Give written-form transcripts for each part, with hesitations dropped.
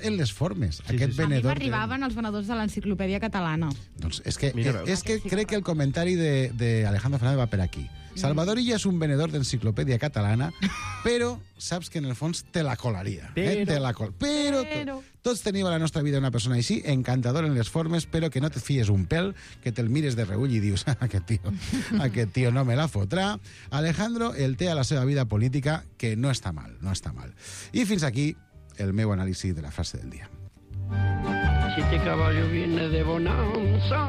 en les formes. Aquest A mi venedor... m'arribaven els venedors de l'Enciclopèdia Catalana. Doncs és que sí, crec que el comentari de Alejandro Fernández va per aquí. Salvador Illa és un venedor d'enciclopèdia catalana, però saps que en el fons te la colaria. Però tots tenim a la nostra vida una persona així, encantador en les formes, però que no te fies un pèl, que te'l mires de reull i dius, aquest tio no me la fotrà. Alejandro el té a la seva vida política, que no està mal, no està mal. I fins aquí el meu anàlisi de la frase del dia. Si este caballo viene de bonanza.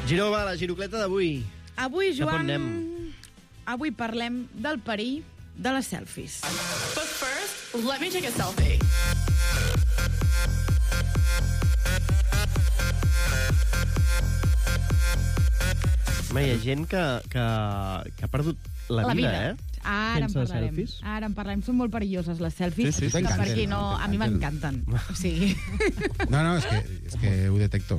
Giró, va, la girocleta d'avui. Avui, Cap on Joan, anem? avui parlem del perill de les selfies. But first, let me take a selfie. Home, hi ha gent que ha perdut la vida, eh? Ara en Sense parlarem. selfies. Ara en parlarem. Són molt perilloses, les selfies. Sí, que per qui no... A mi m'encanten. O sigui... No, és que ho detecto.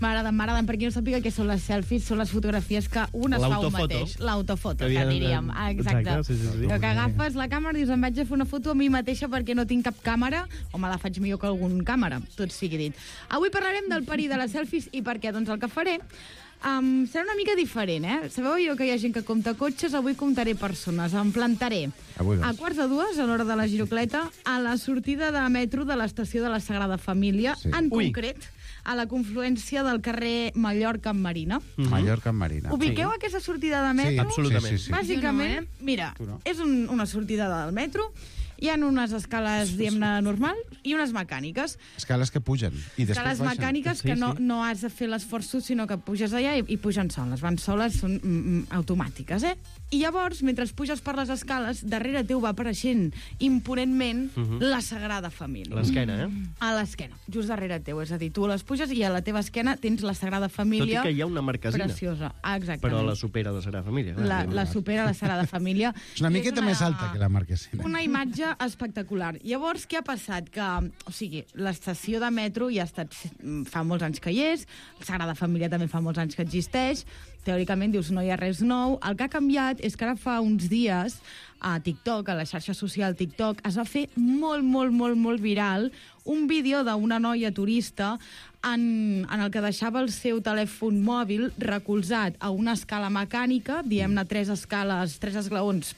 M'agraden. Per qui no sàpiga què són les selfies, són les fotografies que un es fa un L'autofoto. mateix. L'autofoto, Que que havien- diríem. Exacte. Exacte, sí. Que agafes la càmera i dius, em vaig a fer una foto a mi mateixa perquè no tinc cap càmera, o me la faig millor que algun càmera, tot sigui dit. Avui parlarem del perill de les selfies i per què? Doncs el que faré serà una mica diferent, eh? Sabeu jo que hi ha gent que compta cotxes? Avui comptaré persones. Em plantaré Avui a vas. 1:45, a l'hora de la girocleta, a la sortida de metro de l'estació de la Sagrada Família, Sí. en Ui. concret, a la confluència del carrer Mallorca amb Marina. Mallorca amb Marina. Ubiqueu aquesta sortida de metro? absolutament. Sí. Bàsicament, mira, Tu no. és una sortida del metro, hi ha unes escales, diguem-ne, normal i unes mecàniques. Escales que pugen i després Escales baixen. mecàniques que no has de fer l'esforç tu, sinó que puges allà i pugen soles. Van soles, són automàtiques, eh? I llavors, mentre puges per les escales, darrere teu va apareixent imponentment la Sagrada Família. L'esquena, eh? A l'esquena, just darrere teu. És a dir, tu les puges i a la teva esquena tens la Sagrada Tot i Família. que hi ha una marquesina. Preciosa, exactament. Però la supera la Sagrada Família. La supera la Sagrada Família. És una I miqueta més alta que la marquesina. Una imatge espectacular. Llavors, què ha passat? Que, o sigui, l'estació de metro ja ha estat, fa molts anys que hi és, la Sagrada Família també fa molts anys que existeix, teòricament dius no hi ha res nou. El que ha canviat és que ara fa uns dies a TikTok, a la xarxa social TikTok, es va fer molt viral un vídeo d'una noia turista en el que deixava el seu telèfon mòbil recolzat a una escala mecànica, diguem-ne tres esglaons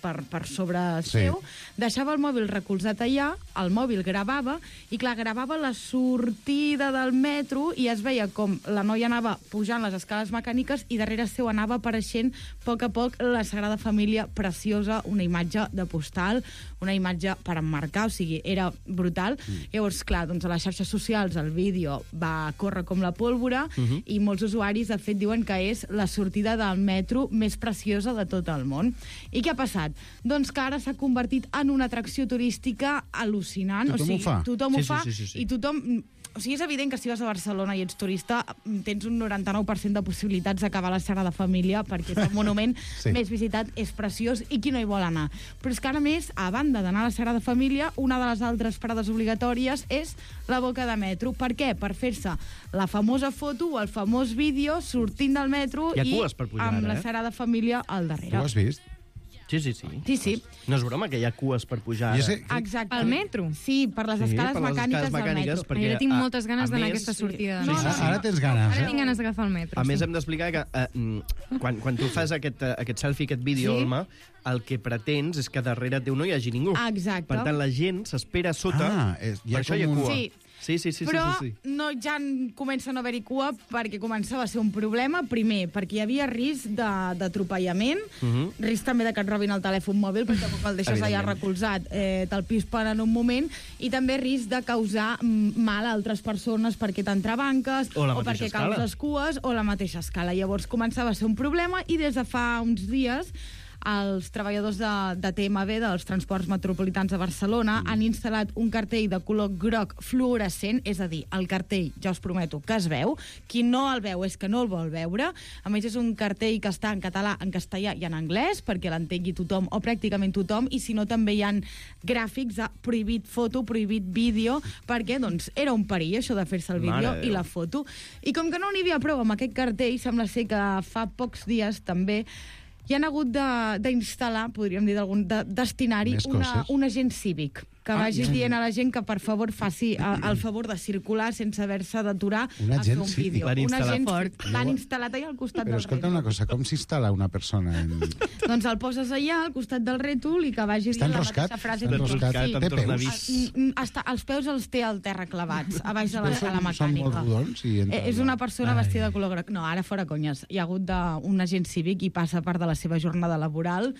per sobre seu, deixava el mòbil recolzat allà, el mòbil gravava, i clar, gravava la sortida del metro i es veia com la noia anava pujant les escales mecàniques i darrere seu anava apareixent a poc la Sagrada Família preciosa, una imatge de postal, una imatge per emmarcar, o sigui, era brutal. Llavors, clar, doncs a les xarxes socials el vídeo va córrer com la pólvora i molts usuaris, de fet, diuen que és la sortida del metro més preciosa de tot el món. I què ha passat? Doncs que ara s'ha convertit en una atracció turística al·lucinant. Tothom ho fa. Tothom ho fa Sí. i tothom... O sigui, és evident que si vas a Barcelona i ets turista tens un 99% de possibilitats d'acabar a la Sagrada Família perquè és el monument més visitat, és preciós i qui no hi vol anar. Però és que ara més, a banda d'anar a la Sagrada Família, una de les altres parades obligatòries és la boca de metro. Per què? Per fer-se la famosa foto o el famós vídeo sortint del metro Hi ha i cues per pujar amb ara, la Sagrada Família al darrere. Tu ho has vist? Sí. Sí. No és broma que hi ha cues per pujar Jo ara. sé, Exacte. Al metro? Sí, per les escales per les mecàniques escales del mecàniques, metro. perquè, Jo tinc moltes ganes a d'anar a més, aquesta sortida. sí, sí, sí. Ara tens ganes, Ara tinc ganes d'agafar el metro. A més, hem d'explicar que quan tu fas aquest selfie, aquest vídeo, Sí. Alma, el que pretens és que darrere teu no hi hagi ningú. Exacte. Per tant, la gent s'espera a sota, hi ha per això hi ha com un- cua. Sí. Sí. Però sí. no, ja comença a no haver-hi cua perquè començava a ser un problema. Primer, perquè hi havia risc d'atropellament, risc també de que et robin el telèfon mòbil perquè tampoc el deixes allà Evidentment. recolzat, te'l pispen en un moment, i també risc de causar mal a altres persones perquè t'entrebanques O la o mateixa perquè escala. causes cues o la mateixa escala. Llavors començava a ser un problema i des de fa uns dies els treballadors de TMB, dels Transports Metropolitans de Barcelona, han instal·lat un cartell de color groc fluorescent, és a dir, el cartell, ja us prometo, que es veu. Qui no el veu és que no el vol veure. A més, és un cartell que està en català, en castellà i en anglès, perquè l'entengui tothom, o pràcticament tothom, i si no també hi ha gràfics de prohibit foto, prohibit vídeo, perquè doncs, era un perill això de fer-se el vídeo i la foto. I com que no n'hi havia prou amb aquest cartell, sembla ser que fa pocs dies també hi han hagut d'instal·lar, podríem dir, destinar-hi un agent cívic que vagi dient a la gent que, per favor, faci el favor de circular sense haver-se d'aturar a fer un vídeo. Un agent fort. L'han instal·lat allà al costat del rètol. Però escolta una cosa, com s'instal·la una persona? Doncs el poses allà al costat del rètol i que vagi dient la mateixa frase. Està enroscat, té peus. Els peus els té al terra clavats, a baix de la sala mecànica. Són molt rodons? És una persona vestida de color groc. No, ara fora conyes. Hi ha hagut un agent cívic i passa part de la seva jornada laboral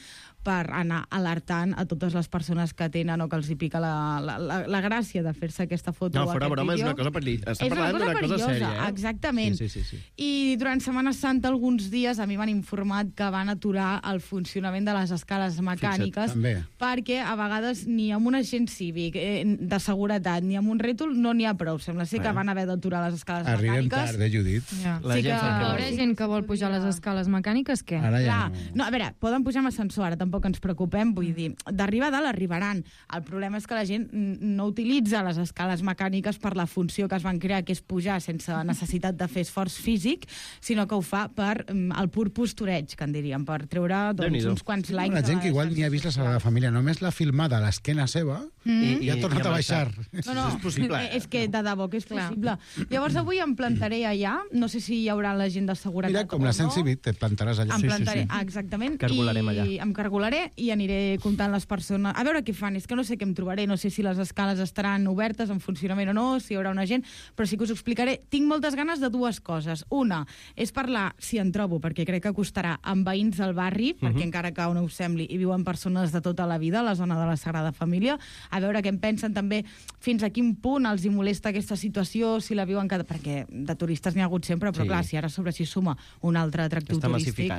per anar alertant a totes les persones que tenen o que els hi pica la gràcia de fer-se aquesta foto o fora aquest broma, vídeo. És una cosa perillosa. Està parlant d'una cosa sèria, exactament. Sí. I durant Setmana Santa, alguns dies, a mi m'han informat que van aturar el funcionament de les escales mecàniques perquè a vegades ni amb un agent cívic de seguretat ni amb un rètol no n'hi ha prou. Sembla ser que van haver d'aturar les escales mecàniques. Arribem tard, Judit? Hi haurà gent que vol pujar les escales mecàniques, què? Ara ja no. A veure, poden pujar amb ascensor, ara tampoc ens preocupem, vull dir, d'arribar a dalt arribaran. El problema és que la gent no utilitza les escales mecàniques per la funció que es van crear, que és pujar sense necessitat de fer esforç físic, sinó que ho fa per el pur postureig, que en diríem, per treure uns quants likes. La gent que igual ni ha vist la Sagrada Família, només l'ha filmada a l'esquena seva i ha tornat a baixar. No, és possible. És que de debò que és possible. Llavors avui em plantaré allà, no sé si hi haurà la gent de seguretat. Mira, com l'ascens cívic, te plantaràs allà. Em plantaré, exactament. Cargolarem allà. Em cargolaré i aniré comptant les persones. A veure què fan, és que no sé què em trobaré, no sé si les escales estaran obertes, en funcionament o no, si hi haurà una gent, però sí que us ho explicaré. Tinc moltes ganes de dues coses. Una, és parlar, si en trobo, perquè crec que costarà, amb veïns del barri, perquè encara que no us sembli, hi viuen persones de tota la vida a la zona de la Sagrada Família, a veure què en pensen també, fins a quin punt els hi molesta aquesta situació, si la viuen perquè de turistes n'hi ha hagut sempre, però clar, si ara sobre s'hi suma un altre atractiu turístic,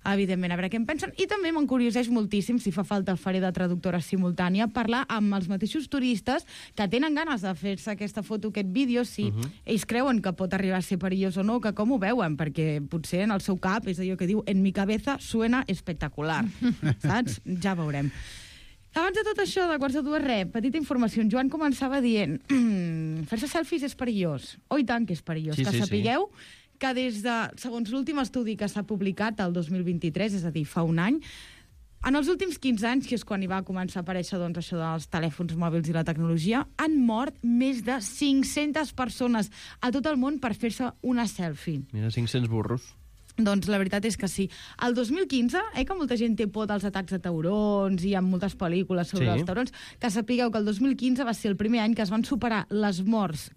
evidentment, a veure què en pensen. I també m'encurioseix moltíssim, si fa falta faré de traductora simultània, parlar amb els mateixos turistes que tenen ganes de fer-se aquesta foto, aquest vídeo, si ells creuen que pot arribar a ser perillós o no, que com ho veuen, perquè potser en el seu cap és allò que diu en mi cabeza suena espectacular, saps? Ja veurem. Abans de tot això, de quarts de dues, petita informació. En Joan començava dient fer-se selfies és perillós. Oh, i tant que és perillós. Que sapigueu que des de, segons l'últim estudi que s'ha publicat el 2023, és a dir, fa un any, en els últims 15 anys, que és quan hi va començar a aparèixer doncs, això dels telèfons mòbils i la tecnologia, han mort més de 500 persones a tot el món per fer-se una selfie. Mira, 500 burros. Doncs la veritat és que sí. El 2015, que molta gent té por dels atacs de taurons i hi ha moltes pel·lícules sobre els taurons, que sapigueu que el 2015 va ser el primer any que es van superar les morts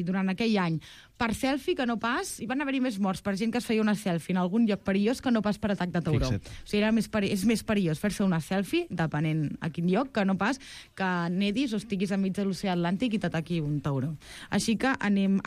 durant aquell any per selfie que no pas, hi van haver-hi més morts per gent que es feia una selfie en algun lloc perillós que no pas per atac de tauró. O sigui, és més perillós fer-se una selfie, depenent a quin lloc, que no pas que nedis o estiguis enmig de l'oceà Atlàntic i t'ataqui un tauró. Així que anem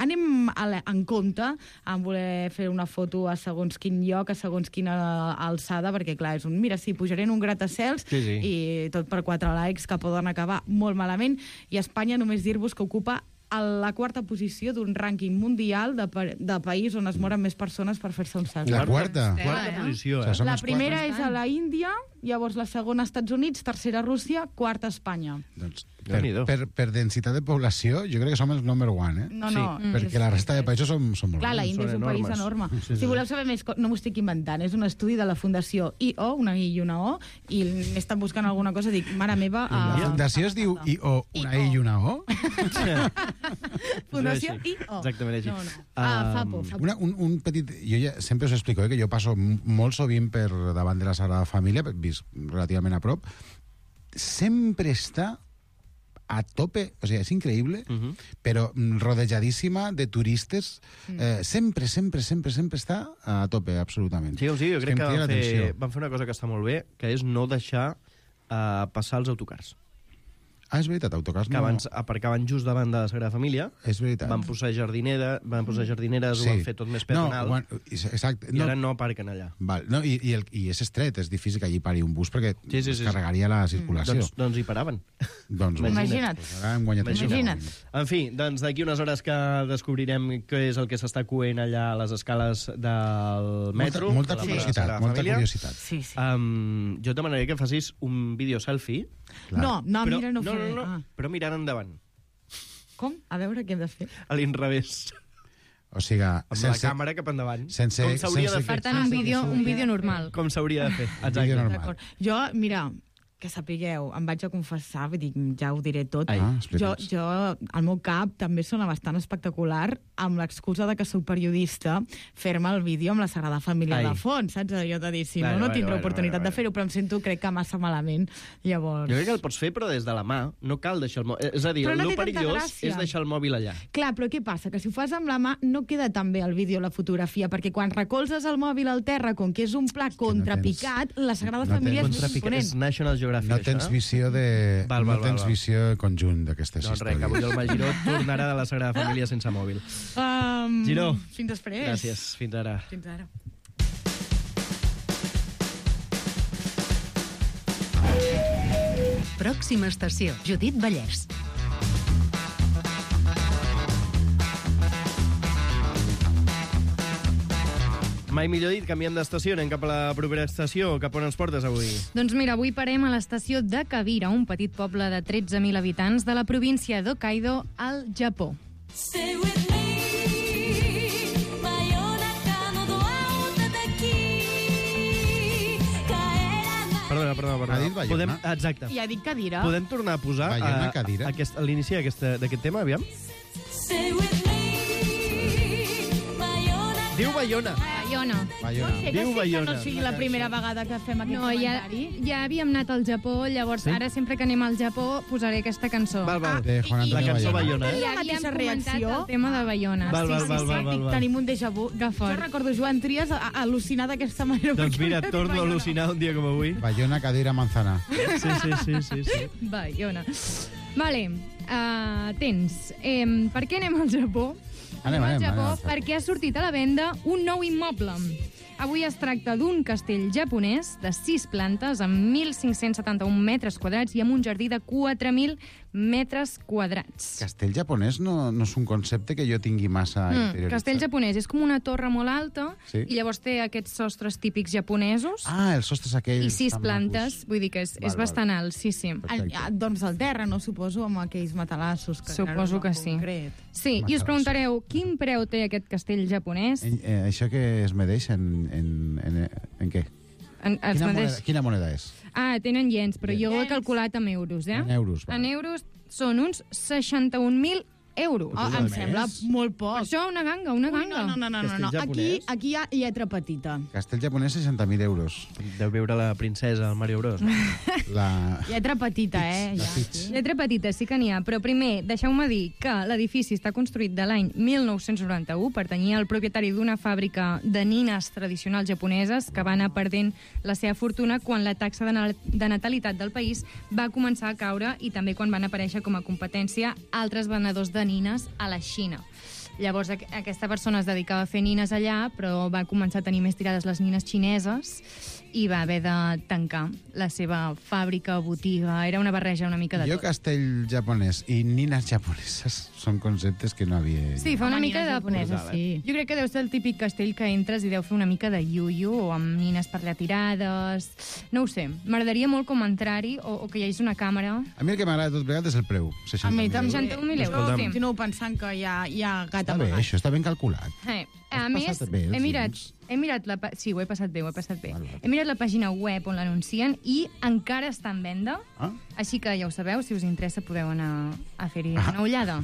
en compte en voler fer una foto a segons quin lloc, a segons quina alçada, perquè clar, és mira, sí, pujaré en un gratacels i tot per 4 likes que poden acabar molt malament, i Espanya només dir-vos que ocupa a la quarta posició d'un rànquing mundial de país on es moren més persones per fer-se un selfie. La quarta? Quarta posició, La primera és a la Índia, llavors la segona a Estats Units, tercera Rússia, quarta Espanya. Doncs per densitat de població, jo crec que som els number one, No. Perquè la resta de països són molt Clar, la Índia és un país enorme. Si voleu saber més, no m'ho estic inventant, és un estudi de la Fundació I.O., una I i una O, i m'estan buscant alguna cosa, dic, mare meva... La fundació es diu I.O., una I i una O? Fundació I.O. Exactament així. Fa por. Un petit... Jo ja sempre us explico que jo passo molt sovint per davant de la Sagrada Família, vist relativament a prop, sempre està a tope, o sigui, és increïble, però rodejadíssima de turistes, sempre està a tope, absolutament. Sí, jo crec que van fer una cosa que està molt bé, que és no deixar passar els autocars. Ah, és veritat, autocars que no... abans aparcaven just davant de la Sagrada Família, És veritat. van posar jardineres, ho van fer tot més peatonal, exacte. i ara no aparquen allà. Val, no, i és estret, és difícil que allí pari un bus perquè Sí. es carregaria la circulació. Doncs hi paraven. Doncs Imagina't. Pues ara hem guanyat Imagina't. En fi, doncs d'aquí unes hores que descobrirem què és el que s'està coent allà a les escales del metro. Molta de la curiositat, Sagrada molta Família. curiositat. Sí, sí. Jo et demanaria que facis un vídeo selfie, Clar. No, però, mira, no ho faré. no, però mirant endavant, Com? A veure què hem de fer. a l'inrevés, O sigui, amb la càmera cap endavant, sense- com s'hauria de sense- fer. Per tant, un vídeo normal. Com s'hauria de fer, Vídeo exacte. normal. D'acord. Jo, mira, que sapigueu, em vaig a confessar, vull dir, ja ho diré tot. Ai. Explica'ns. Jo, al meu cap, també sona bastant espectacular, amb l'excusa de que soc periodista, fer-me el vídeo amb la Sagrada Família Ai. de fons, saps? Allò de dir, si Bueno, no tindré bueno, oportunitat bueno. de fer-ho, però em sento, crec que massa malament. Llavors... Jo crec que el pots fer, però des de la mà. No cal deixar el mòbil. És a dir, Però no el té tanta perillós gràcia. és deixar el mòbil allà. Clar, però què passa? Que si ho fas amb la mà no queda tan bé el vídeo o la fotografia, perquè quan recolzes el mòbil al terra, com que és un pla contrapicat, la Sagrada no tens- Família és més Contrapicat. imponent. És National Geographic, No tens això. visió de... Val, no val, tens val. visió conjunt d'aquestes Doncs res, que històries. avui el Magiró tornarà de la Sagrada Família sense mòbil. Giró. Fins després. Gràcies, fins ara. Fins ara. Pròxima estació, Judit Vallès. Mai millor dit, canviem d'estació, anem cap a la propera estació. Cap on ens portes avui? Doncs mira, avui parem a l'estació de Kabira, un petit poble de 13.000 habitants de la província d'Hokkaido, al Japó. Stay with me. 真夜中のドアを叩き帰らない Perdona. Ha dit Bayona? Exacte. Ja dic cadira. Podem tornar a posar Bayona, cadira. a l'inici d'aquest tema, aviam? Stay with me. 真夜中 Diu Bayona. Bayona. Bayona. Sé que Diu sí que Bayona. no sigui la primera vegada que fem aquest No, comentari. ja havíem anat al Japó, llavors Sí? ara sempre que anem al Japó posaré aquesta cançó. Val. De Juan La Antonio cançó Bayona. Bayona, I La havíem mateixa comentat reacció. el tema de Bayona. Val. Tenim un déjà vu. Que fort. Jo recordo Joan Trias al·lucinar d'aquesta manera. Doncs perquè mira, havia dit torno a Bayona. al·lucinar un dia com avui. Bayona, cadira, manzana. Sí. Bayona. Vale, tens. Per què anem al Japó? Anem al al Japó Japó. perquè ha sortit a la venda un nou immoble. Avui es tracta d'un castell japonès de 6 plantes amb 1.571 metres quadrats i amb un jardí de 4.000 metres quadrats. Castell japonès no és un concepte que jo tingui massa interioritzat. Castell japonès és com una torre molt alta Sí. i llavors té aquests sostres típics japonesos Ah, els sostres aquells... i 6 tan plantes, macos. vull dir que és Val. bastant alt, sí. Perfecte. Doncs al terra, no suposo, amb aquells matalassos. Que Suposo en que sí. concret. Sí, i us Matalassos. preguntareu quin preu té aquest castell japonès? Això que es medeix en què? Quina moneda és? Ah, tenen iens, però jo ho he Iens. calculat amb euros, eh? En euros, val. En euros són uns 61.000 euros. Oh, em sembla molt poc. Per això una ganga, una Ui, ganga. no. Castell japonès. Aquí hi ha lletra petita. Castell japonès, 60.000 euros. Deu veure la princesa, el Mario Bros. La... Lletra petita, La Ja, Fitch. sí. Lletra petita, sí que n'hi ha, però primer deixeu-me dir que l'edifici està construït de l'any 1991, pertanyia al propietari d'una fàbrica de nines tradicionals japoneses que va anar perdent la seva fortuna quan la taxa de natalitat del país va començar a caure i també quan van aparèixer com a competència altres venedors de nines a la Xina. Llavors aquesta persona es dedicava a fer nines allà, però va començar a tenir més tirades les nines xineses i va haver de tancar la seva fàbrica, botiga. Era una barreja una mica de Jo tot. castell japonès i nines japoneses són conceptes que no havia... Sí, fa una Home, mica nines de... japoneses, sí. Jo crec que deu ser el típic castell que entres i deu fer una mica de iuiu o amb nines per allà tirades... No ho sé, m'agradaria molt com entrar-hi o que hi hagi una càmera. A mi el que m'agrada tot plegat és el preu, A mi 60.000 també. euros. 61.000 euros, Jo sí. continuo pensant que hi ha gat Està bé, amagat. això està ben calculat. A Has més, passat bé els he mirat la... Sí, ho he passat bé. Val, val. He mirat la pàgina web on l'anuncien i encara està en venda. Ah? Així que ja ho sabeu, si us interessa podeu anar a fer-hi una ullada.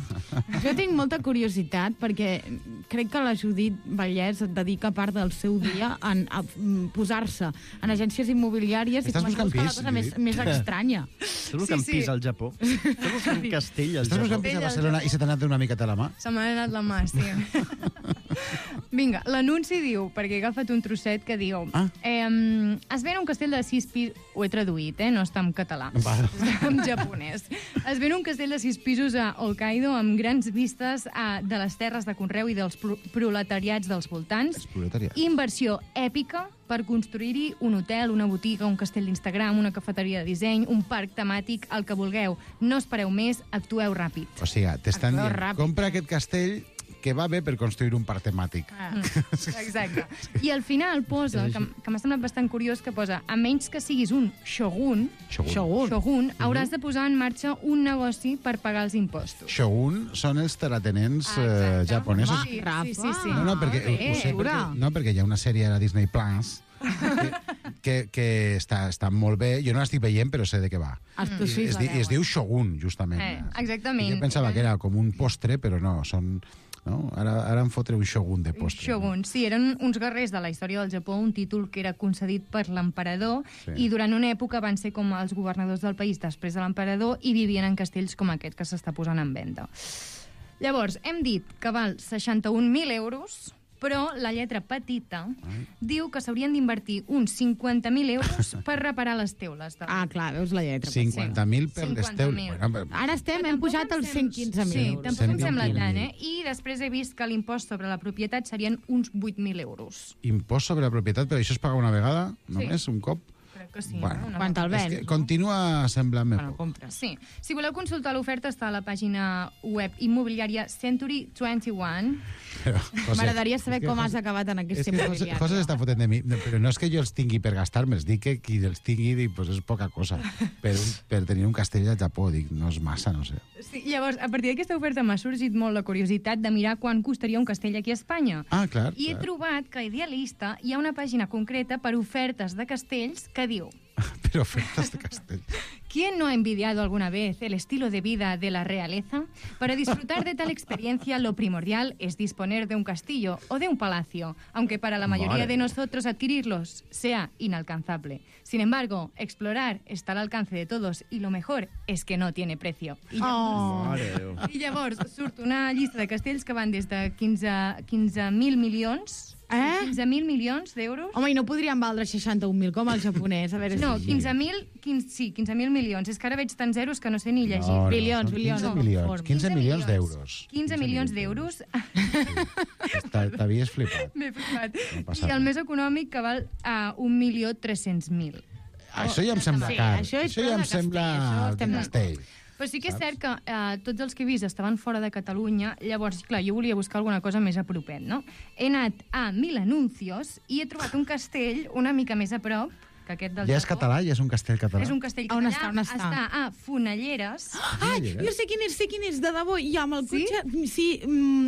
Jo tinc molta curiositat perquè crec que la Judit Vallès dedica part del seu dia a posar-se en agències immobiliàries Estàs i començar a buscant buscar la pis, cosa més estranya. Estàs buscant Sí. pis al Japó? Estàs buscant castell al Estàs Japó? buscant pis a Barcelona i se t'ha anat una miqueta la mà? Se m'ha anat la mà, sí. Vinga, l'anunci diu, perquè he agafat un trosset que diu... es ven un castell de 6 pisos... Ho he traduït, no està en català. Està en japonès. Es ven un castell de 6 pisos a Hokkaido amb grans vistes de les terres de conreu i dels proletariats dels voltants. Els proletariats. Inversió èpica per construir-hi un hotel, una botiga, un castell d'Instagram, una cafeteria de disseny, un parc temàtic, el que vulgueu. No espereu més, actueu ràpid. O sigui, t'estan Actueu dient, ràpid. compra aquest castell que va bé per construir un parc temàtic. Exacte. I al final posa, que m'ha semblat bastant curiós, que posa, a menys que siguis un shogun, hauràs de posar en marxa un negoci per pagar els impostos. Shogun són els terratenents Exacte. japonesos. Sí, Rafa. sí. No, perquè, ho sé, perquè hi ha una sèrie a la Disney Plus que està molt bé. Jo no l'estic veient, però sé de què va. Es diu Shogun, justament. Exactament. Jo pensava que era com un postre, però no, són... No? Ara em fotre un shogun de postre. Shogun, sí, eren uns guerrers de la història del Japó, un títol que era concedit per l'emperador, i durant una època van ser com els governadors del país després de l'emperador i vivien en castells com aquest que s'està posant en venda. Llavors, hem dit que val 61.000 euros, però la lletra petita diu que s'haurien d'invertir uns 50.000 euros per reparar les teules. Clar, veus la lletra. 50.000 per les teules. 50.000. Ara hem pujat als 115.000 Sí, euros. tampoc em sembla 115.000. tant, I després he vist que l'impost sobre la propietat serien uns 8.000 euros. Impost sobre la propietat, però això es paga una vegada, només, un cop? Crec que sí. Bueno, no? Quan te'l És vens, que continua semblant-me Bueno, poc. compres. Sí. Si voleu consultar l'oferta, està a la pàgina web immobiliària Century 21. M'agradaria saber com has acabat en aquesta immobiliària. José s'està fotent de mi, però no és que jo els tingui per gastar-me'ls, dic que qui els tingui pues és poca cosa. Per tenir un castell al Japó, dic, no és massa, no sé. Sí, llavors, a partir d'aquesta oferta m'ha sorgit molt la curiositat de mirar quan costaria un castell aquí a Espanya. Ah, clar. I he trobat que a Idealista hi ha una pàgina concreta per ofertes de castells que diu: Per ofertes de castell. ¿Quién no ha envidiado alguna vez el estilo de vida de la realeza? Para disfrutar de tal experiencia, lo primordial es disponer de un castillo o de un palacio, aunque para la mayoría de nosotros adquirirlos sea inalcanzable. Sin embargo, explorar está al alcance de todos y lo mejor es que no tiene precio. I llavors surt una llista de castells que van des de 15.000 milions 15.000 milions d'euros. Home, i no podrien valdre 61.000 com el japonès? A veure No, si... 15.000 milions. És que ara veig tants zeros que no sé ni llegir. No, Bilions, són bilions. 15 milions. 15 milions d'euros. 15 milions d'euros. T'havies flipat. M'he flipat. No passa I el res. més econòmic que val a 1.300.000. Això ja em sembla Sí, car. això és Això ja prou em de castell, sembla això de estem castell. Però sí que és cert que tots els que he vist estaven fora de Catalunya, llavors, clar, jo volia buscar alguna cosa més a propet, no? He anat a Mil Anuncios i he trobat un castell una mica més a prop, que aquest del Ja és Japó. català? Ja és un castell català? És un castell On català. està, on està? Està a Fonelleres. Ai, jo sé quin és, de debò. I amb el Sí? cotxe... Sí,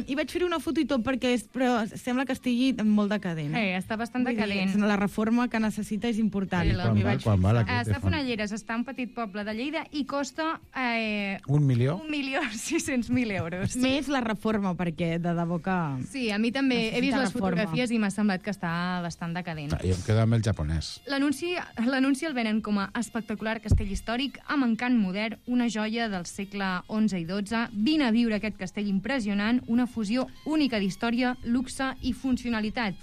i vaig fer una foto i tot, però sembla que estigui molt decadent. Està bastant decadent. La reforma que necessita és important. Sí, Quan val, quan val aquest? Està a Fonelleres, està a un petit poble de Lleida i costa 1 milió? 1.600.000 euros. Més la reforma, perquè de debò que... Sí, a mi també he vist Necessita les reforma. fotografies i m'ha semblat que està bastant decadent. Jo em quedo amb el japonès. L'anunci el venen com a espectacular castell històric amb encant modern, una joia del segle XI i XII. Vine a viure aquest castell impressionant, una fusió única d'història, luxe i funcionalitat.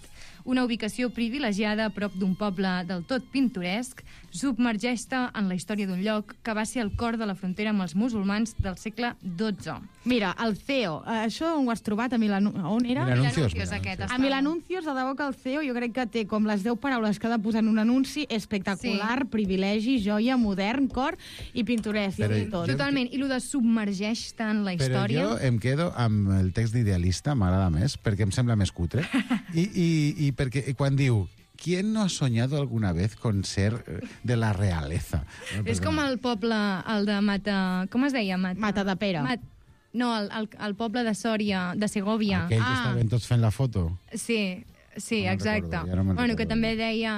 Una ubicació privilegiada a prop d'un poble del tot pintoresc, submergeix-te en la història d'un lloc que va ser el cor de la frontera amb els musulmans del segle XII. Mira, el CEO, això on ho has trobat? A on era? Milanuncios. Aquest A Mil Anuncios, de debò que el CEO jo crec que té com les 10 paraules que ha de posar en un anunci: espectacular, privilegi, joia, modern, cor i pintoresc. Però I tot. Totalment. I el de submergeix-te en la Però història... jo em quedo amb el text d'idealista, m'agrada més, perquè em sembla més cutre. I perquè quan diu ¿quién no ha soñado alguna vez con ser de la realeza? És com el poble, el de Mata... Com es deia? Mata de Pere. No, el poble de Sòria, de Segòvia. Aquell que estaven tots fent la foto. Sí, sí, No me'n exacte. recordo, ja no me'n Bueno, que recordo. també deia...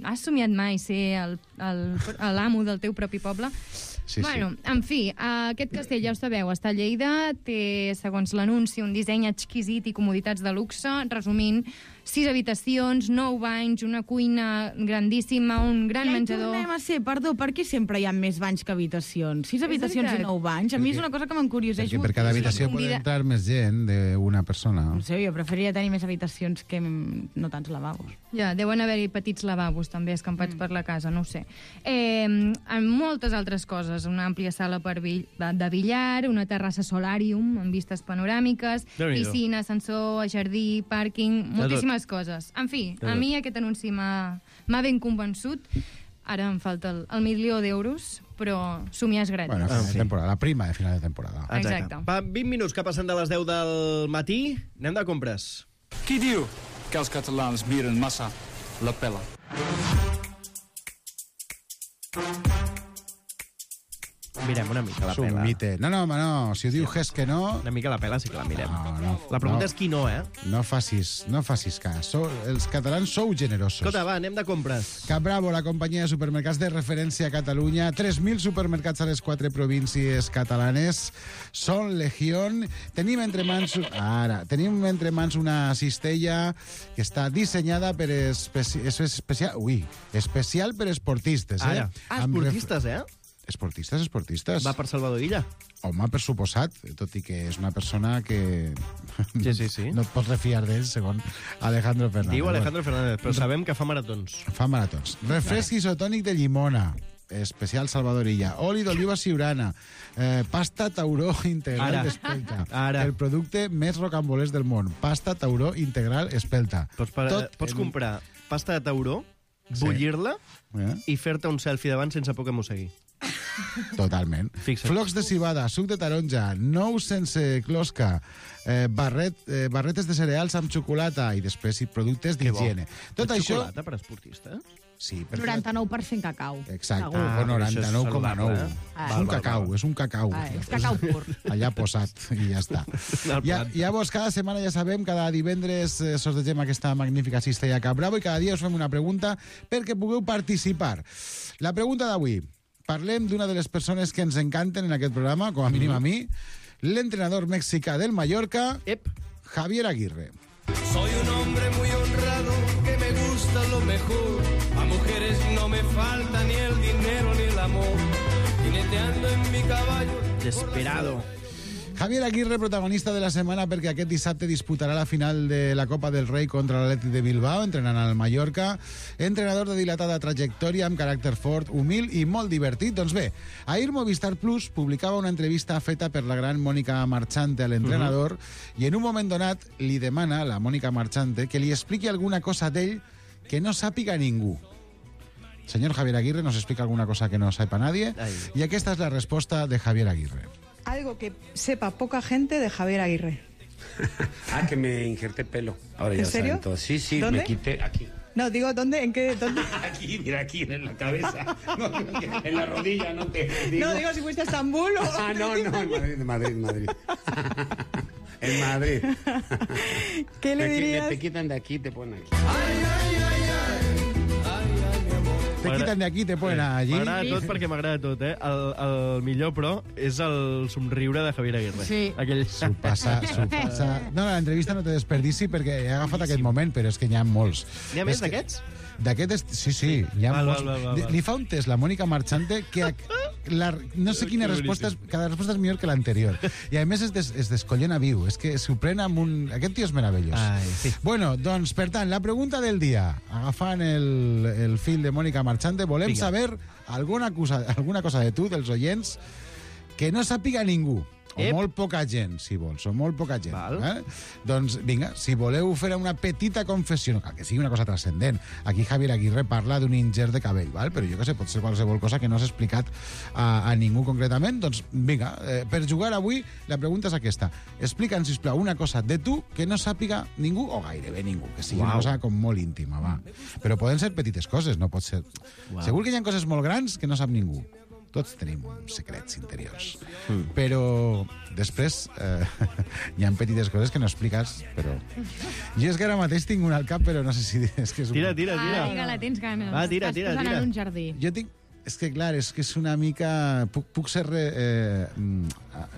Has somiat mai ser l'amo del teu propi poble? Sí, bueno, en fi, aquest castell, ja ho sabeu, està a Lleida, té, segons l'anunci, un disseny exquisit i comoditats de luxe. Resumint, 6 habitacions, 9 banys, una cuina grandíssima, un gran menjador... Ja hi tornem a ser, perdó, per què sempre hi ha més banys que habitacions? 6 habitacions i 9 banys? A mi és una cosa que m'encurioseix Perquè per cada habitació pot entrar més gent d'una persona. No sé, jo preferiria tenir més habitacions que no tants lavabos. Ja, deuen haver-hi petits lavabos també escampats per la casa, no ho sé. En moltes altres coses, una àmplia sala de billar, una terrassa solàrium amb vistes panoràmiques, piscina, ascensor, jardí, pàrquing, moltíssimes coses. En fi, a mi aquest anunci m'ha ben convençut. Ara em falta el 1.000.000 d'euros, però somiar és gratis. Bueno, final de temporada, la prima de final de temporada. Exacte. Va, 20 minuts que passen de les 10 del matí, anem de compres. Qui diu que els catalans miren massa la pela? Mirem una mica la És un pela. mite. No, home, no. Si ho diu Ges que no... Una mica la pela sí que la mirem. No. La pregunta és qui no, eh? No facis cas. Els catalans sou generosos. Escolta, va, anem de compres. Capbravo, la companyia de supermercats de referència a Catalunya. 3.000 supermercats a les 4 províncies catalanes. Són Legión. Tenim entre mans una cistella que està dissenyada per especial per esportistes. Ara, esportistes, eh? Esportistes. Va per Salvador Illa. Home, per suposat, tot i que és una persona que Sí. no et pots refiar d'ell, segons Alejandro Fernández. Diu Alejandro Fernández, però sabem que fa maratons. Fa maratons. Refresc isotònic de llimona, especial Salvador Illa. Oli d'oliva siurana. Pasta tauró integral d'espelta. El producte més rocambolès del món. Pasta tauró integral espelta. Pots comprar pasta de tauró, bullir-la i fer-te un selfie davant sense por que mosegui. Totalment. Fixa't. Flocs de civada, suc de taronja, nous sense closca, barretes de cereals amb xocolata i després productes d'higiene. Tot això... Xocolata per esportista? Sí, 99% cacau. Exacte, Segur. o 99,9. És un cacau, és un cacau. És cacau pur. Allà posat, i ja està. Llavors, cada setmana, ja sabem, cada divendres sortegem aquesta magnífica cistella Cap Bravo i cada dia us fem una pregunta perquè pugueu participar. La pregunta d'avui. Parlem d'una de les persones que ens encanten en aquest programa, com a mínim a mi, l'entrenador mexicà del Mallorca, Javier Aguirre. Soy un hombre muy honrado que me gusta lo mejor. A mujeres no me falta ni el dinero ni el amor. Jineteando en mi caballo. Desesperado. Javier Aguirre, protagonista de la setmana perquè aquest dissabte disputarà la final de la Copa del Rei contra l'Atlètic de Bilbao, entrenant al Mallorca. Entrenador de dilatada trajectòria, amb caràcter fort, humil i molt divertit. Doncs bé, ahir Movistar Plus publicava una entrevista feta per la gran Mònica Marchante a l'entrenador i en un moment donat li demana a la Mònica Marchante que li expliqui alguna cosa d'ell que no sàpiga ningú. Señor Javier Aguirre, ¿nos explica alguna cosa que no sepa nadie? Y esta es la respuesta de Javier Aguirre. Algo que sepa poca gente de Javier Aguirre. Que me injerté pelo. Ahora ¿En ya serio? saben todo. Sí, ¿Dónde? me quité aquí. No, digo, ¿dónde? ¿En qué? ¿Dónde? Aquí, mira, aquí en la cabeza. No, en la rodilla, no te digo. No, digo si fuiste a Estambul o... No, en Madrid. En Madrid. ¿Qué le dirías? Te quitan de aquí, te ponen aquí. Te quitan de aquí, te ponen allí. M'agrada tot perquè m'agrada tot, eh? El millor, però, és el somriure de Javier Aguirre. Sí. Aquell... S'ho passa. No, l'entrevista no té desperdici perquè he agafat aquest moment, però és que n'hi ha molts. N'hi ha més d'aquests? Sí, n'hi ha molts. Val. Li fa un test la Mònica Marchante que no sé quina resposta és, cada resposta és millor que l'anterior. I a més es descollona viu, és que s'ho pren amb un... Aquest tio és meravellós. Sí. Bueno, doncs, per tant, la pregunta del dia, agafant el fil de Mònica Marchante, volem saber alguna cosa de tu, dels oients, que no sàpiga ningú. O molt poca gent, si vols, o molt poca gent. Doncs, vinga, si voleu fer una petita confessió, no cal que sigui una cosa transcendent. Aquí Javier Aguirre parla d'un ingert de cabell, però jo què sé, pot ser qualsevol cosa que no s'ha explicat a ningú concretament. Doncs, vinga, per jugar avui, la pregunta és aquesta. Explica'ns, sisplau, una cosa de tu que no sàpiga ningú, o gairebé ningú, que sigui una cosa com molt íntima, va. Però poden ser petites coses, no pot ser... Segur que hi ha coses molt grans que no sap ningú. Tots tenim secrets interiors. Però després hi ha petites coses que no expliques, però... Jo és que ara mateix tinc una al cap, però no sé si... És que és Tira. Vinga, la tens ganes. Va, tira. Estàs posant en un jardí. Jo tinc... És que, clar, és que és una mica... Puc ser...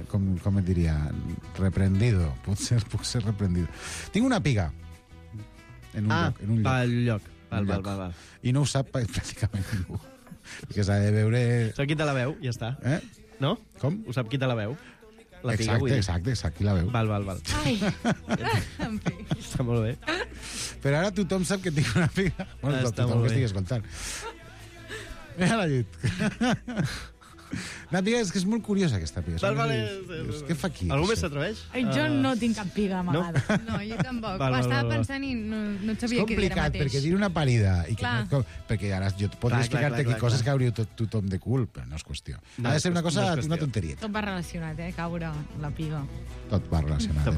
com et diria? Reprendido. Puc ser reprendido. Tinc una piga. en un lloc. Pel lloc. Val. I no ho sap pràcticament ningú. Perquè s'ha de veure... Sap qui te la veu, ja està. No? Com? Ho sap qui te la veu. La piga, Exacte, qui la veu. Val. Ai, en fi. Està molt bé. Però ara tothom sap que tinc una piga. Bueno, tothom que estigui escoltant. Mira la llit. No, tia, és que és molt curiosa aquesta piga. Què fa aquí? Algú més s'atreveix? Jo no tinc cap piga amagada. No, jo tampoc. Estava pensant i no sabia què dir ara mateix. Perquè dir una parida... Perquè ara jo podria explicar-te aquí coses que hauria tothom de cul, però no és qüestió. Ha de ser una cosa, una tonteria. Tot va relacionat, caure la piga. Tot va relacionat.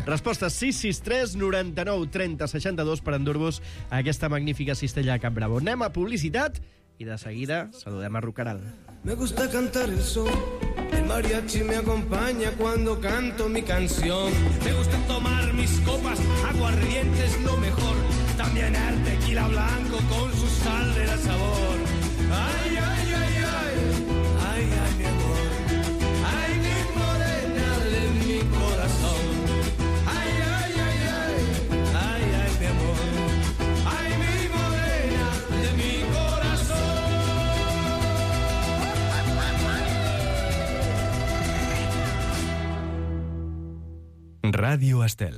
Resposta 663 99 30 62 per endur-vos a aquesta magnífica cistella a Cap Bravo. Anem a publicitat i de seguida saludem a Rucaral. Me gusta cantar el son, el mariachi me acompaña cuando canto mi canción. Me gusta tomar mis copas, aguardiente es lo mejor. También el tequila blanco con su sal de la sabor. Ay, ay, ay, ay, ay, ay, mi amor. Ay, mi morena de mi corazón. Ay, ay, ay, ay, ay, ay, mi amor. Ay, mi morena de mi corazón. Ràdio Estel.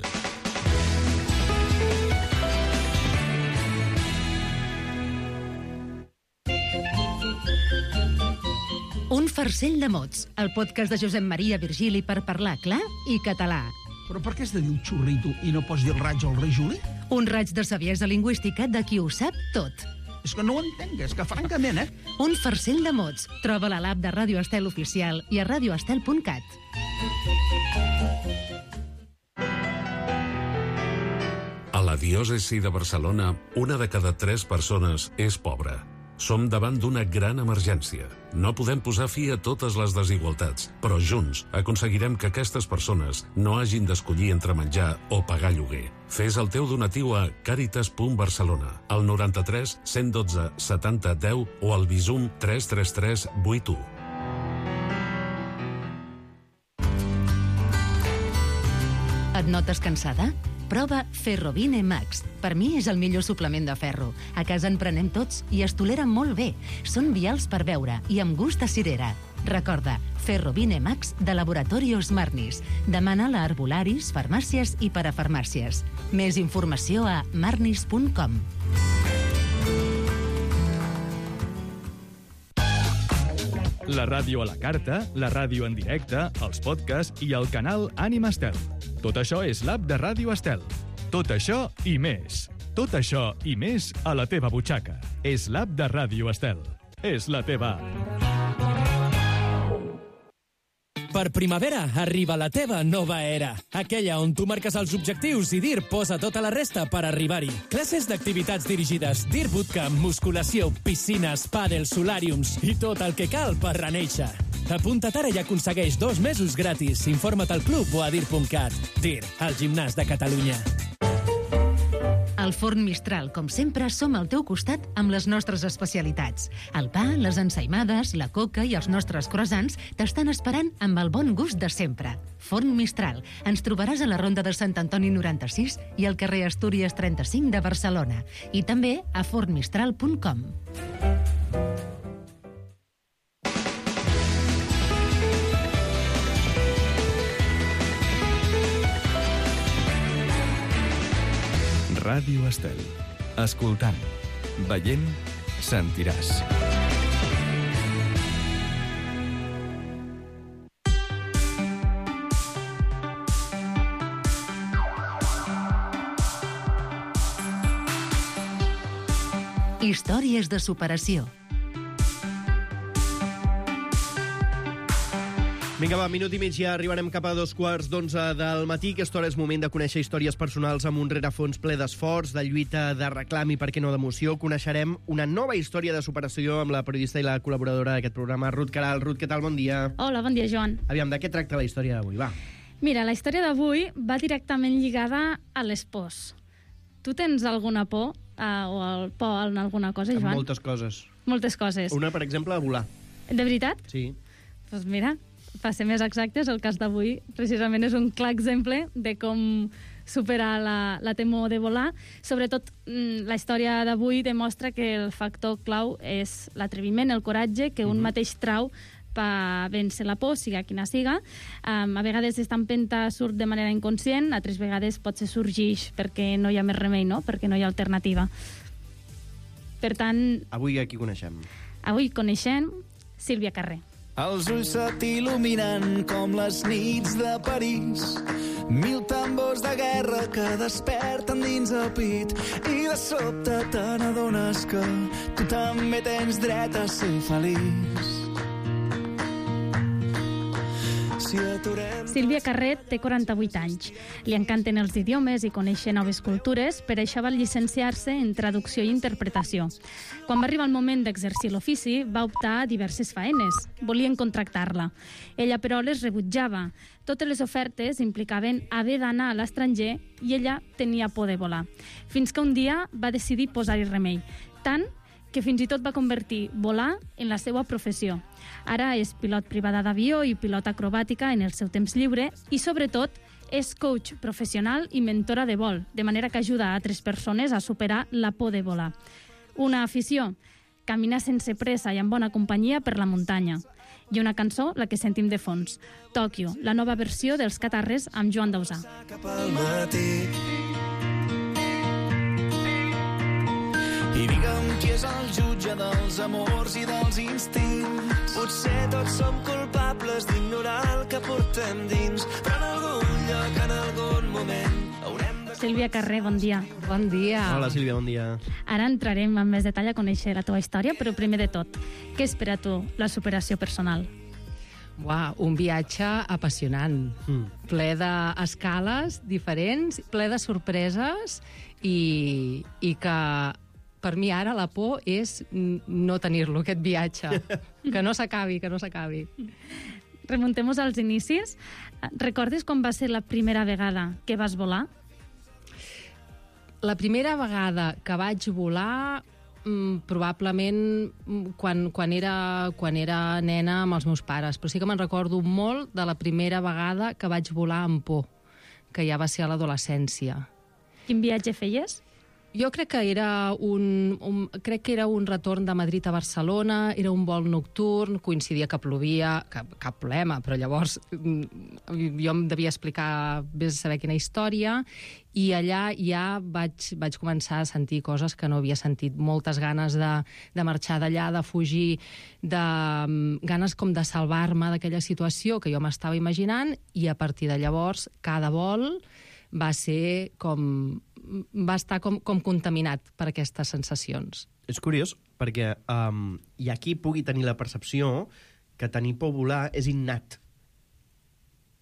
Un farcell de mots, el podcast de Josep Maria Virgili per parlar clar i català. Però per què has de dir un xurrito i no pots dir el raig al rei Juli? Un raig de saviesa lingüística de qui ho sap tot. És que no ho entenc, és que francament, Un farcell de mots. Troba-la a l'app de Ràdio Estel Oficial i a radioestel.cat. A la diòcesi de Barcelona, 1 de cada 3 persones és pobra. Som davant d'una gran emergència. No podem posar fi a totes les desigualtats, però junts aconseguirem que aquestes persones no hagin d'escollir entre menjar o pagar lloguer. Fes el teu donatiu a caritas.barcelona, al 93 112 70 10 o al Bizum 333 81. Et notes cansada? Prova Ferrovine Max. Per mi és el millor suplement de ferro. A casa en prenem tots i es tolera molt bé. Són vials per beure i amb gust de cirera. Recorda, Ferrovine Max de Laboratorios Marnis. Demana-la a herbolaris, farmàcies i parafarmàcies. Més informació a marnis.com. La ràdio a la carta, la ràdio en directe, els podcasts i el canal Ànima Estel. Tot això és l'app de Ràdio Estel. Tot això i més. Tot això i més a la teva butxaca. És l'app de Ràdio Estel. És la teva app. Per primavera arriba la teva nova era. Aquella on tu marques els objectius i DIR posa tota la resta per arribar-hi. Classes d'activitats dirigides, DIR Bootcamp, musculació, piscines, pàdel, solàriums i tot el que cal per renéixer. Apunta't ara i aconsegueix 2 mesos gratis. Informa't al club o a dir.cat. DIR, el gimnàs de Catalunya. Al Forn Mistral, com sempre, som al teu costat amb les nostres especialitats. El pa, les ensaïmades, la coca i els nostres croissants t'estan esperant amb el bon gust de sempre. Forn Mistral. Ens trobaràs a la Ronda de Sant Antoni 96 i al carrer Astúries 35 de Barcelona. I també a fornmistral.com. Ràdio Estel. Escoltant, veient, sentiràs. Històries de superació. Vinga, va, minut i mig, ja arribarem cap a 11:15 del matí. Aquesta hora és moment de conèixer històries personals amb un rerefons ple d'esforç, de lluita, de reclam i, per què no, d'emoció. Coneixerem una nova història de superació amb la periodista i la col·laboradora d'aquest programa, Ruth Caral. Ruth, què tal? Bon dia. Hola, bon dia, Joan. Aviam, de què tracta la història d'avui? Va. Mira, la història d'avui va directament lligada a l'espòs. Tu tens alguna por o el por en alguna cosa, Joan? Moltes coses. Moltes coses. Una, per exemple, a volar. De veritat? Sí. Doncs mira, per ser més exactes, el cas d'avui precisament és un clar exemple de com superar la temor de volar. Sobretot, la història d'avui demostra que el factor clau és l'atreviment, el coratge, que un mateix trau per vèncer la por, siga quina siga. A vegades aquesta empenta surt de manera inconscient, altres vegades potser sorgeix perquè no hi ha més remei, no? Perquè no hi ha alternativa. Per tant... Avui aquí coneixem. Avui coneixem Sílvia Carré. Els ulls se t'il·luminen com les nits de París. 1000 tambors de guerra que desperten dins el pit i de sobte te n'adones que tu també tens dret a ser feliç. Sílvia Carré té 48 anys. Li encanten els idiomes i conèixer noves cultures, per això va llicenciar-se en traducció i interpretació. Quan va arribar el moment d'exercir l'ofici, va optar a diverses faenes. Volien contractar-la. Ella, però, les rebutjava. Totes les ofertes implicaven haver d'anar a l'estranger i ella tenia por de volar. Fins que un dia va decidir posar-hi remei. Tant que fins i tot va convertir volar en la seva professió. Ara és pilot privada d'avió i pilot acrobàtica en el seu temps lliure i, sobretot, és coach professional i mentora de vol, de manera que ajuda a altres persones a superar la por de volar. Una afició, caminar sense pressa i amb bona companyia per la muntanya. I una cançó, la que sentim de fons, Tòquio, la nova versió dels Catarres amb Joan Dausà. I digue'm qui és el jutge dels amors i dels instints. Potser tots som culpables d'ignorar el que portem dins, però en algun lloc, en algun moment, haurem de... Sílvia Carré, bon dia. Bon dia. Hola, Sílvia, bon dia. Ara entrarem en més detall a conèixer la teva història, però primer de tot, què és per a tu la superació personal? Uau, un viatge apassionant, ple d'escales diferents, ple de sorpreses i que per mi ara la por és no tenir-lo, aquest viatge. Que no s'acabi, que no s'acabi. Remuntem-nos als inicis. Recordes quan va ser la primera vegada que vas volar? La primera vegada que vaig volar, probablement quan era nena amb els meus pares, però sí que me'n recordo molt de la primera vegada que vaig volar amb por, que ja va ser a l'adolescència. Quin viatge feies? Jo crec que era un retorn de Madrid a Barcelona, era un vol nocturn, coincidia que plovia, cap problema, però llavors jo em devia explicar, vés a saber quina història, i allà ja vaig començar a sentir coses que no havia sentit, moltes ganes de marxar d'allà, de fugir, ganes com de salvar-me d'aquella situació que jo m'estava imaginant, i a partir de llavors cada vol va estar com contaminat per aquestes sensacions. És curiós, perquè hi ha qui pugui tenir la percepció que tenir por volar és innat.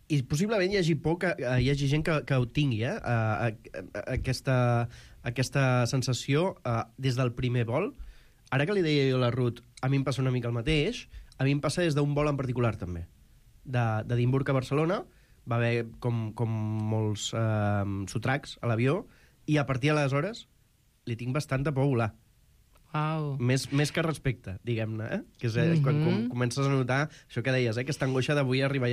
I possiblement hi hagi gent que ho tingui, aquesta sensació des del primer vol. Ara que li deia jo a la Ruth, a mi em passa una mica el mateix, a mi em passa des d'un vol en particular, també. D'Edimburg a Barcelona, va haver com molts sotracs a l'avió, i a partir d'aleshores li tinc bastanta por a volar. Wow. Més que respecte, diguem-ne, que és quan comences a notar això que deies, aquesta angoixa de vull arribar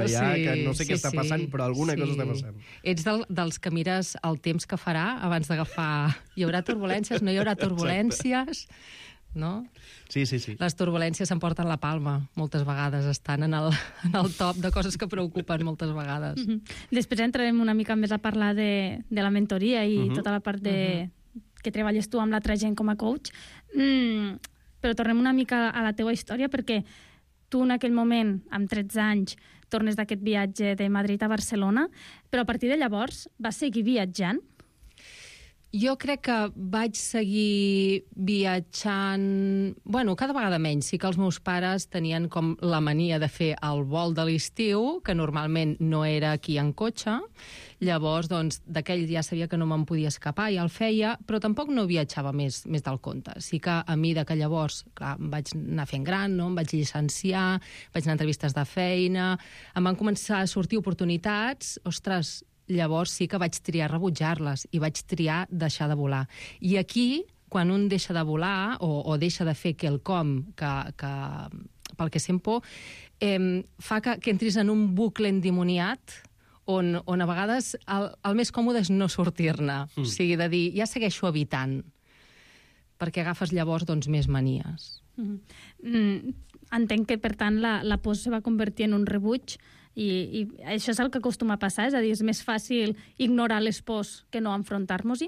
allà, que no sé què està passant, però alguna cosa està passant. Ets dels que mires el temps que farà abans d'agafar... Hi haurà turbulències, no hi haurà turbulències... No? Sí. Les turbulències s'emporten la palma, moltes vegades, estan en el top de coses que preocupen moltes vegades. Després entrarem una mica més a parlar de la mentoria i tota la part que treballes tu amb l'altra gent com a coach, però tornem una mica a la teua història, perquè tu en aquell moment, amb 13 anys, tornes d'aquest viatge de Madrid a Barcelona, però a partir de llavors vas seguir viatjant? Jo crec que vaig seguir viatjant... Bueno, cada vegada menys. Sí que els meus pares tenien com la mania de fer el vol de l'estiu, que normalment no era aquí en cotxe. Llavors, doncs, d'aquell ja sabia que no me'n podia escapar, ja el feia, però tampoc no viatjava més del compte. Sí que a mi que llavors, clar, em vaig anar fent gran, no? Em vaig llicenciar, vaig anar a entrevistes de feina, em van començar a sortir oportunitats, ostres, llavors sí que vaig triar rebutjar-les i vaig triar deixar de volar. I aquí, quan un deixa de volar o deixa de fer quelcom pel que sent por, fa que entris en un bucle endimoniat on a vegades el més còmode és no sortir-ne. O sigui, de dir, ja segueixo evitant, perquè agafes llavors doncs, més manies. Entenc que, per tant, la por se va convertir en un rebuig i això és el que acostuma a passar, és a dir, és més fàcil ignorar les pors que no enfrontar-nos-hi?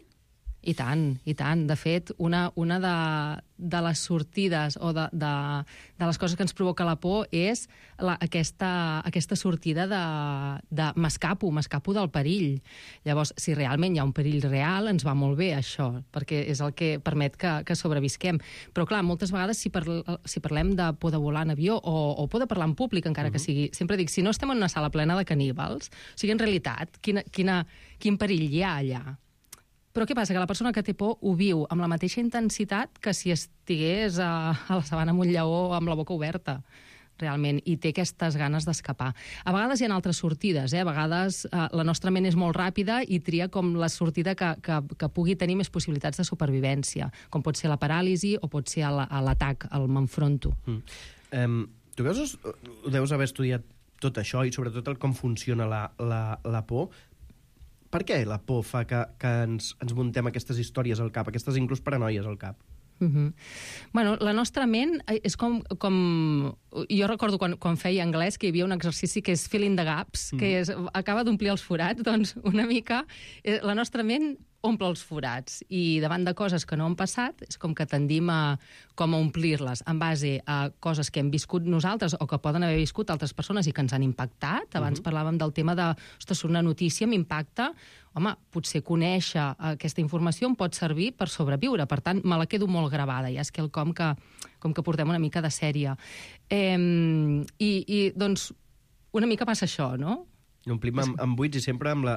I tant, i tant. De fet, una de les sortides o de les coses que ens provoca la por és aquesta sortida de m'escapo del perill. Llavors, si realment hi ha un perill real, ens va molt bé això, perquè és el que permet que sobrevisquem. Però, clar, moltes vegades, si parlem de por de volar en avió o por de parlar en públic, encara que sigui, sempre dic, si no estem en una sala plena de caníbals, o sigui, en realitat, quin perill hi ha allà? Però què passa? Que la persona que té por ho viu amb la mateixa intensitat que si estigués a la sabana amb un lleó amb la boca oberta, realment, i té aquestes ganes d'escapar. A vegades hi ha altres sortides, a vegades la nostra ment és molt ràpida i tria com la sortida que pugui tenir més possibilitats de supervivència, com pot ser la paràlisi o pot ser l'atac, el m'enfronto. Tu ho deus haver estudiat tot això i sobretot com funciona la por. Per què la por fa que ens muntem aquestes històries al cap, aquestes inclús paranoies al cap? Bueno, la nostra ment és com... Jo recordo quan feia anglès que hi havia un exercici que és fill in the gaps, que acaba d'omplir els forats, doncs una mica la nostra ment omple els forats i davant de coses que no han passat és com que tendim a omplir-les en base a coses que hem viscut nosaltres o que poden haver viscut altres persones i que ens han impactat. Abans parlàvem del tema de, ostres, una notícia m'impacta. Home, potser conèixer aquesta informació em pot servir per sobreviure. Per tant, me la quedo molt gravada. Ja és quelcom que portem una mica de sèrie. I doncs, una mica passa això, no? Omplim amb buits i sempre amb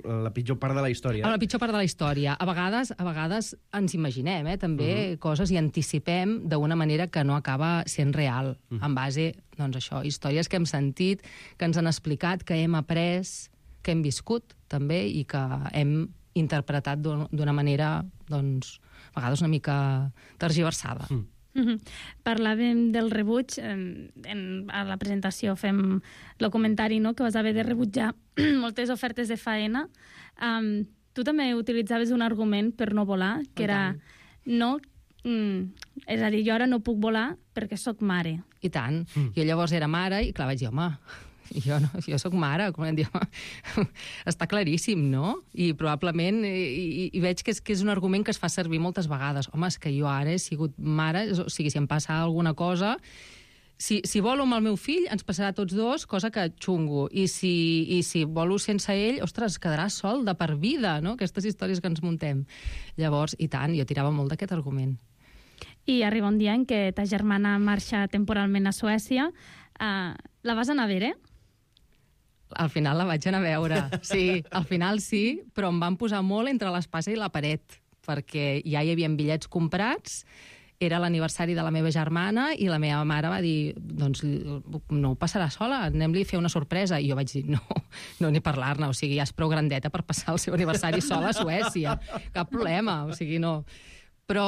la pitjor part de la història. Amb la pitjor part de la història. A vegades ens imaginem, també, coses i anticipem d'una manera que no acaba sent real, en base, doncs això, històries que hem sentit, que ens han explicat, que hem après, que hem viscut, també, i que hem interpretat d'una manera, doncs, a vegades una mica tergiversada. Parlàvem del rebuig, a la presentació fem el comentari, no?, que vas haver de rebutjar moltes ofertes de faena. Tu també utilitzaves un argument per no volar, que era no... és a dir, jo ara no puc volar perquè sóc mare. I tant. Jo llavors era mare i, clar, vaig dir, home, jo sóc mare, com em diu, està claríssim, no? I probablement, i veig que és un argument que es fa servir moltes vegades. Home, és que jo ara he sigut mare, o sigui, si em passa alguna cosa, si volo amb el meu fill, ens passarà a tots dos, cosa que xungo. I si volo sense ell, ostres, quedarà sol de per vida, no? Aquestes històries que ens muntem. Llavors, i tant, jo tirava molt d'aquest argument. I arriba un dia en què ta germana marxa temporalment a Suècia. La vas anar a veure? Al final la vaig anar a veure, sí, al final sí, però em van posar molt entre l'espasa i la paret, perquè ja hi havia bitllets comprats, era l'aniversari de la meva germana i la meva mare va dir, doncs no ho passarà sola, anem-li a fer una sorpresa. I jo vaig dir, no ni parlar-ne, o sigui, ja és prou grandeta per passar el seu aniversari sola a Suècia, cap problema, o sigui, no... Però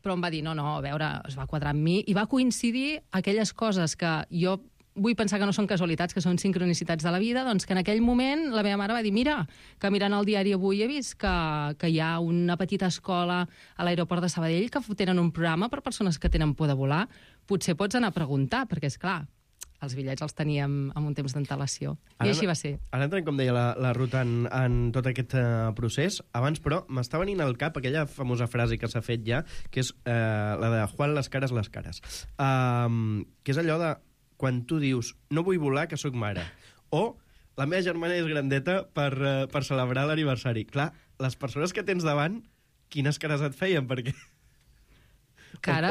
em va dir, no, a veure, es va quadrar amb mi, i va coincidir aquelles coses que jo vull pensar que no són casualitats, que són sincronicitats de la vida, doncs que en aquell moment la meva mare va dir, mira, que mirant el diari avui he vist que hi ha una petita escola a l'aeroport de Sabadell que tenen un programa per persones que tenen por de volar, potser pots anar a preguntar, perquè, és clar, els bitllets els teníem amb un temps d'antelació. I així va ser. Ara entrem, com deia, la Ruth en tot aquest procés. Abans, però, m'està venint al cap aquella famosa frase que s'ha fet ja, que és la de Juan les cares, que és allò de quan tu dius, no vull volar, que sóc mare, o la meva germana és grandeta per celebrar l'aniversari. Clar, les persones que tens davant, quines cares et feien, perquè...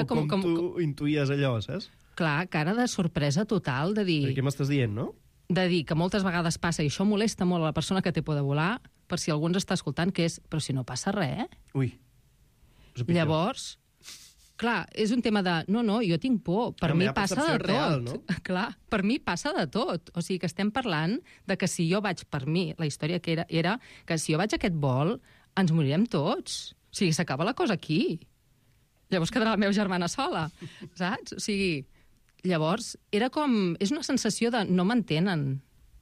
Com tu intuïes allò, saps? Clar, cara de sorpresa total, de dir... Què m'estàs dient, no? De dir que moltes vegades passa, i això molesta molt a la persona que té por de volar, per si algú ens està escoltant, que és, però si no passa res... Ui. Llavors... Clar, és un tema de, no, jo tinc por, per mi passa de tot. Real, no? Clar, per mi passa de tot. O sigui que estem parlant de que si jo vaig, per mi, la història que era que si jo vaig a aquest vol, ens morirem tots. O sigui, s'acaba la cosa aquí. Llavors quedarà la meva germana sola, saps? O sigui, llavors, era com... És una sensació de no m'entenen,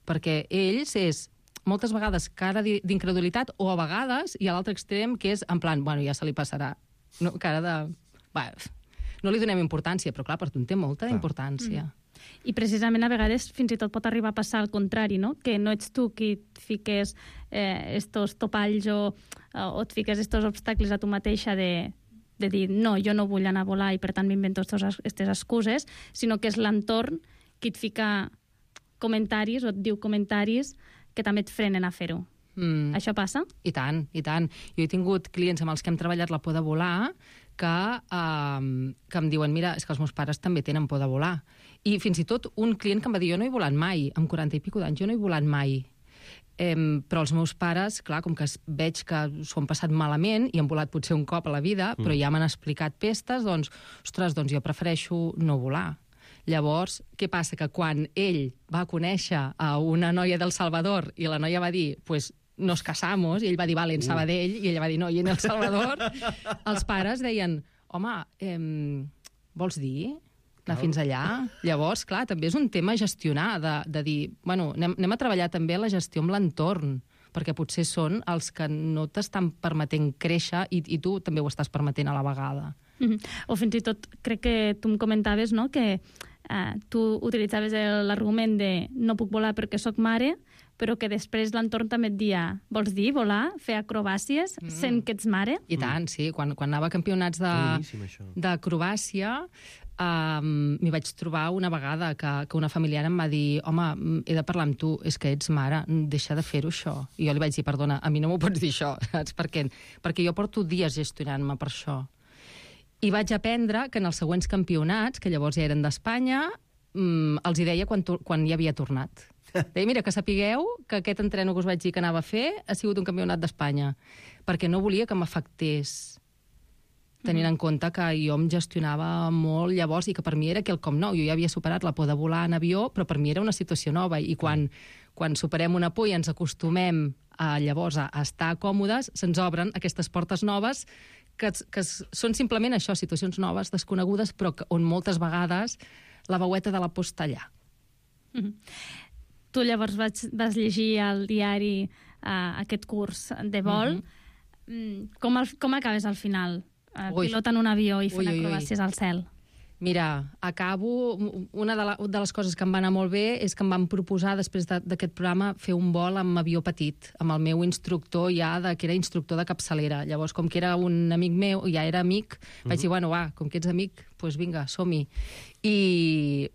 perquè ells és... moltes vegades cara d'incredulitat, o a vegades hi ha l'altre extrem, que és en plan, bueno, ja se li passarà. No, cara de... Va, no li donem importància, però clar, per tu en té molta importància. I precisament a vegades fins i tot pot arribar a passar al contrari, no? Que no ets tu qui et fiques estos topalls o et fiques estos obstacles a tu mateixa de dir no, jo no vull anar a volar i per tant m'invento aquestes excuses, sinó que és l'entorn qui et fica comentaris o et diu comentaris que també et frenen a fer-ho. Això passa? I tant, i tant. Jo he tingut clients amb els que hem treballat la por de volar que em diuen, mira, és que els meus pares també tenen por de volar. I fins i tot un client que em va dir, jo no he volat mai, amb 40 i pico d'anys, jo no he volat mai. Però els meus pares, clar, com que veig que s'ho han passat malament i han volat potser un cop a la vida, però ja m'han explicat pestes, doncs, ostres, doncs jo prefereixo no volar. Llavors, què passa? Que quan ell va conèixer a una noia del Salvador i la noia va dir, pues, nos casamos, i ell va dir, vale, en Sabadell, i ella va dir, no, i en El Salvador, els pares deien, home, vols dir anar fins allà? Llavors, clar, també és un tema a gestionar, de dir, bueno, anem a treballar també la gestió amb l'entorn, perquè potser són els que no t'estan permetent créixer i tu també ho estàs permetent a la vegada. O fins i tot, crec que tu em comentaves, no?, que tu utilitzaves l'argument de no puc volar perquè sóc mare, però que després l'entorn també et dia, vols dir, volar, fer acrobàcies, sent que ets mare? I tant, sí. Quan anava a campionats d'acrobàcia, m'hi vaig trobar una vegada que una familiar em va dir, home, he de parlar amb tu, és que ets mare, deixa de fer-ho això. I jo li vaig dir, perdona, a mi no m'ho pots dir això, saps per què? Perquè jo porto dies gestionant-me per això. I vaig aprendre que en els següents campionats, que llavors ja eren d'Espanya, els hi deia quan hi havia tornat. Deia, mira, que sapigueu que aquest entreno que us vaig dir que anava a fer ha sigut un campionat d'Espanya, perquè no volia que m'afectés, tenint en compte que jo em gestionava molt llavors i que per mi era quelcom nou. Jo ja havia superat la por de volar en avió, però per mi era una situació nova, i quan superem una por i ens acostumem llavors a estar còmodes, se'ns obren aquestes portes noves que són simplement això, situacions noves, desconegudes, però on moltes vegades la veueta de la por està allà. Tu llavors vas llegir al diari aquest curs de vol. Com acabes al final? Pilotant un avió i fent acrobàcies al cel. Mira, acabo... Una de les coses que em va anar molt bé és que em van proposar, després d'aquest programa, fer un vol amb avió petit, amb el meu instructor ja, que era instructor de capçalera. Llavors, com que era un amic meu, ja era amic, vaig dir, bueno, va, com que ets amic, doncs vinga, som-hi. I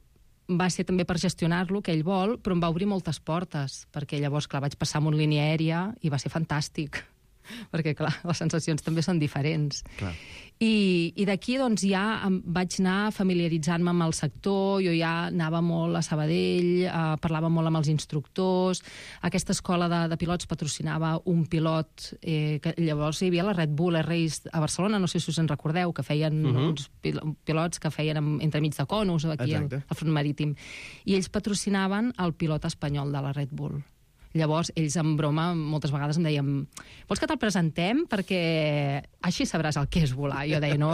va ser també per gestionar-lo, aquell vol, però em va obrir moltes portes, perquè llavors, clar, vaig passar amb una línia aèria i va ser fantàstic, perquè, clar, les sensacions també són diferents. Clar. I d'aquí, doncs, ja vaig anar familiaritzant-me amb el sector, jo ja anava molt a Sabadell, parlava molt amb els instructors, aquesta escola de pilots patrocinava un pilot, que llavors hi havia la Red Bull Air Race a Barcelona, no sé si us en recordeu, que feien uns pilots que feien entremig de Conus, aquí al front marítim, i ells patrocinaven el pilot espanyol de la Red Bull. Llavors, ells en broma moltes vegades em deien, vols que te'l presentem? Perquè així sabràs el que és volar. I jo deia, no,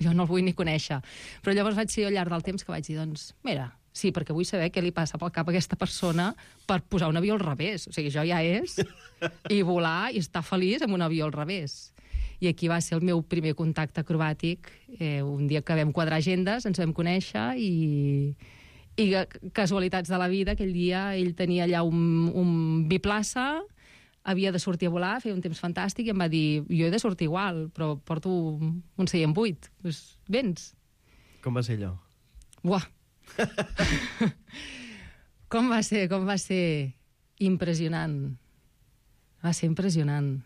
jo no el vull ni conèixer. Però llavors vaig ser al llarg del temps que vaig dir, doncs, mira, sí, perquè vull saber què li passa pel cap a aquesta persona per posar un avió al revés. O sigui, això ja és. I volar i estar feliç amb un avió al revés. I aquí va ser el meu primer contacte acrobàtic. Un dia que vam quadrar agendes, ens vam conèixer i casualitats de la vida, aquell dia ell tenia allà un biplaça, havia de sortir a volar, feia un temps fantàstic, i em va dir, jo he de sortir igual, però porto un seient buit. Doncs vens. Com va ser allò? Buah! Com va ser impressionant. Va ser impressionant.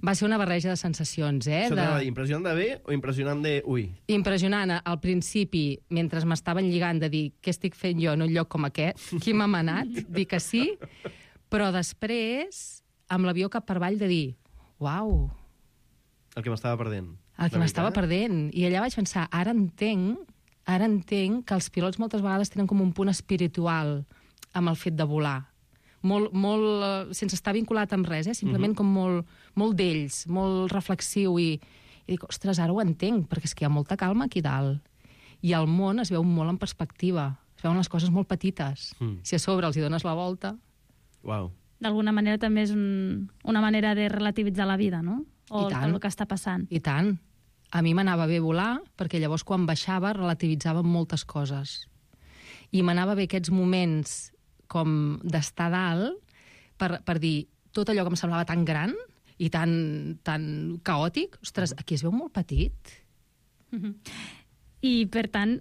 Va ser una barreja de sensacions, Això t'anava a dir, impressionant de bé o impressionant de ui? Impressionant. Al principi, mentre m'estaven lligant de dir què estic fent jo en un lloc com aquest, qui m'ha manat, dir que sí, però després, amb l'avió cap per avall, de dir, uau. El que m'estava perdent. El que m'estava perdent. I allà vaig pensar, ara entenc que els pilots moltes vegades tenen com un punt espiritual amb el fet de volar. Molt sense estar vinculat amb res, simplement com molt d'ells, molt reflexiu, i dic, ostres, ara ho entenc, perquè és que hi ha molta calma aquí dalt. I el món es veu molt en perspectiva, es veuen les coses molt petites. Si a sobre els hi dones la volta... Uau. d'alguna manera també és una manera de relativitzar la vida, no? O I tant. el que està passant. I tant. A mi m'anava bé volar, perquè llavors quan baixava relativitzava moltes coses. I m'anava bé aquests moments com d'estar dalt per dir tot allò que em semblava tan gran i tan caòtic, ostres, aquí es veu molt petit. I, per tant,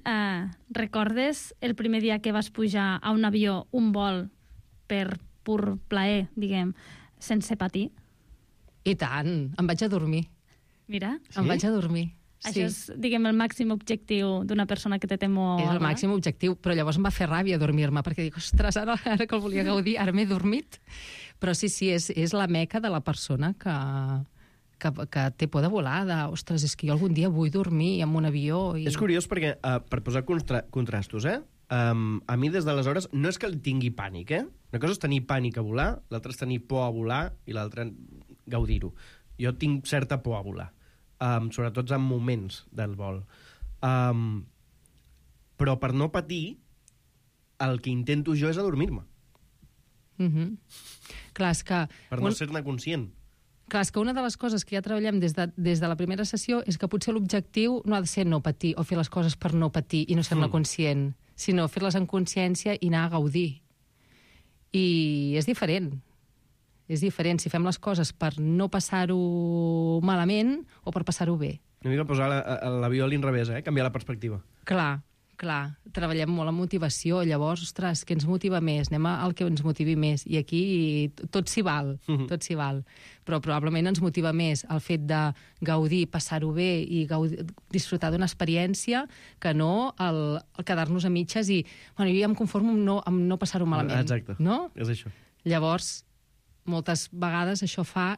recordes el primer dia que vas pujar a un avió, un vol, per pur plaer, diguem, sense patir? I tant, em vaig a dormir. Mira. Em vaig a dormir. Això és, diguem, el màxim objectiu d'una persona que té temor. És el màxim objectiu, però llavors em va fer ràbia dormir-me, perquè dic, ostres, ara que el volia gaudir, ara m'he dormit. Però sí, és la meca de la persona que té por de volar, ostres, és que jo algun dia vull dormir en un avió. És curiós perquè, per posar contrastos, a mi des d'aleshores no és que el tingui pànic, Una cosa és tenir pànic a volar, l'altra és tenir por a volar i l'altra gaudir-ho. Jo tinc certa por a volar, sobretot en moments del vol. Però per no patir, el que intento jo és adormir-me. Clar, és que... Per no ser-ne conscient. Clar, és que una de les coses que ja treballem des de la primera sessió és que potser l'objectiu no ha de ser no patir o fer les coses per no patir i no ser-ne conscient, sinó fer-les en consciència i anar a gaudir. I és diferent. És diferent si fem les coses per no passar-ho malament o per passar-ho bé. Una mica posar l'avió a l'inrevés, canviar la perspectiva. Clar. Treballem molt en motivació, llavors, ostres, què ens motiva més? Anem al que ens motivi més. I aquí tot s'hi val, tot s'hi val. Però probablement ens motiva més el fet de gaudir, passar-ho bé i disfrutar d'una experiència que no el quedar-nos a mitges i, bueno, jo ja em conformo amb no passar-ho malament. Exacte, no? És això. Llavors, moltes vegades això fa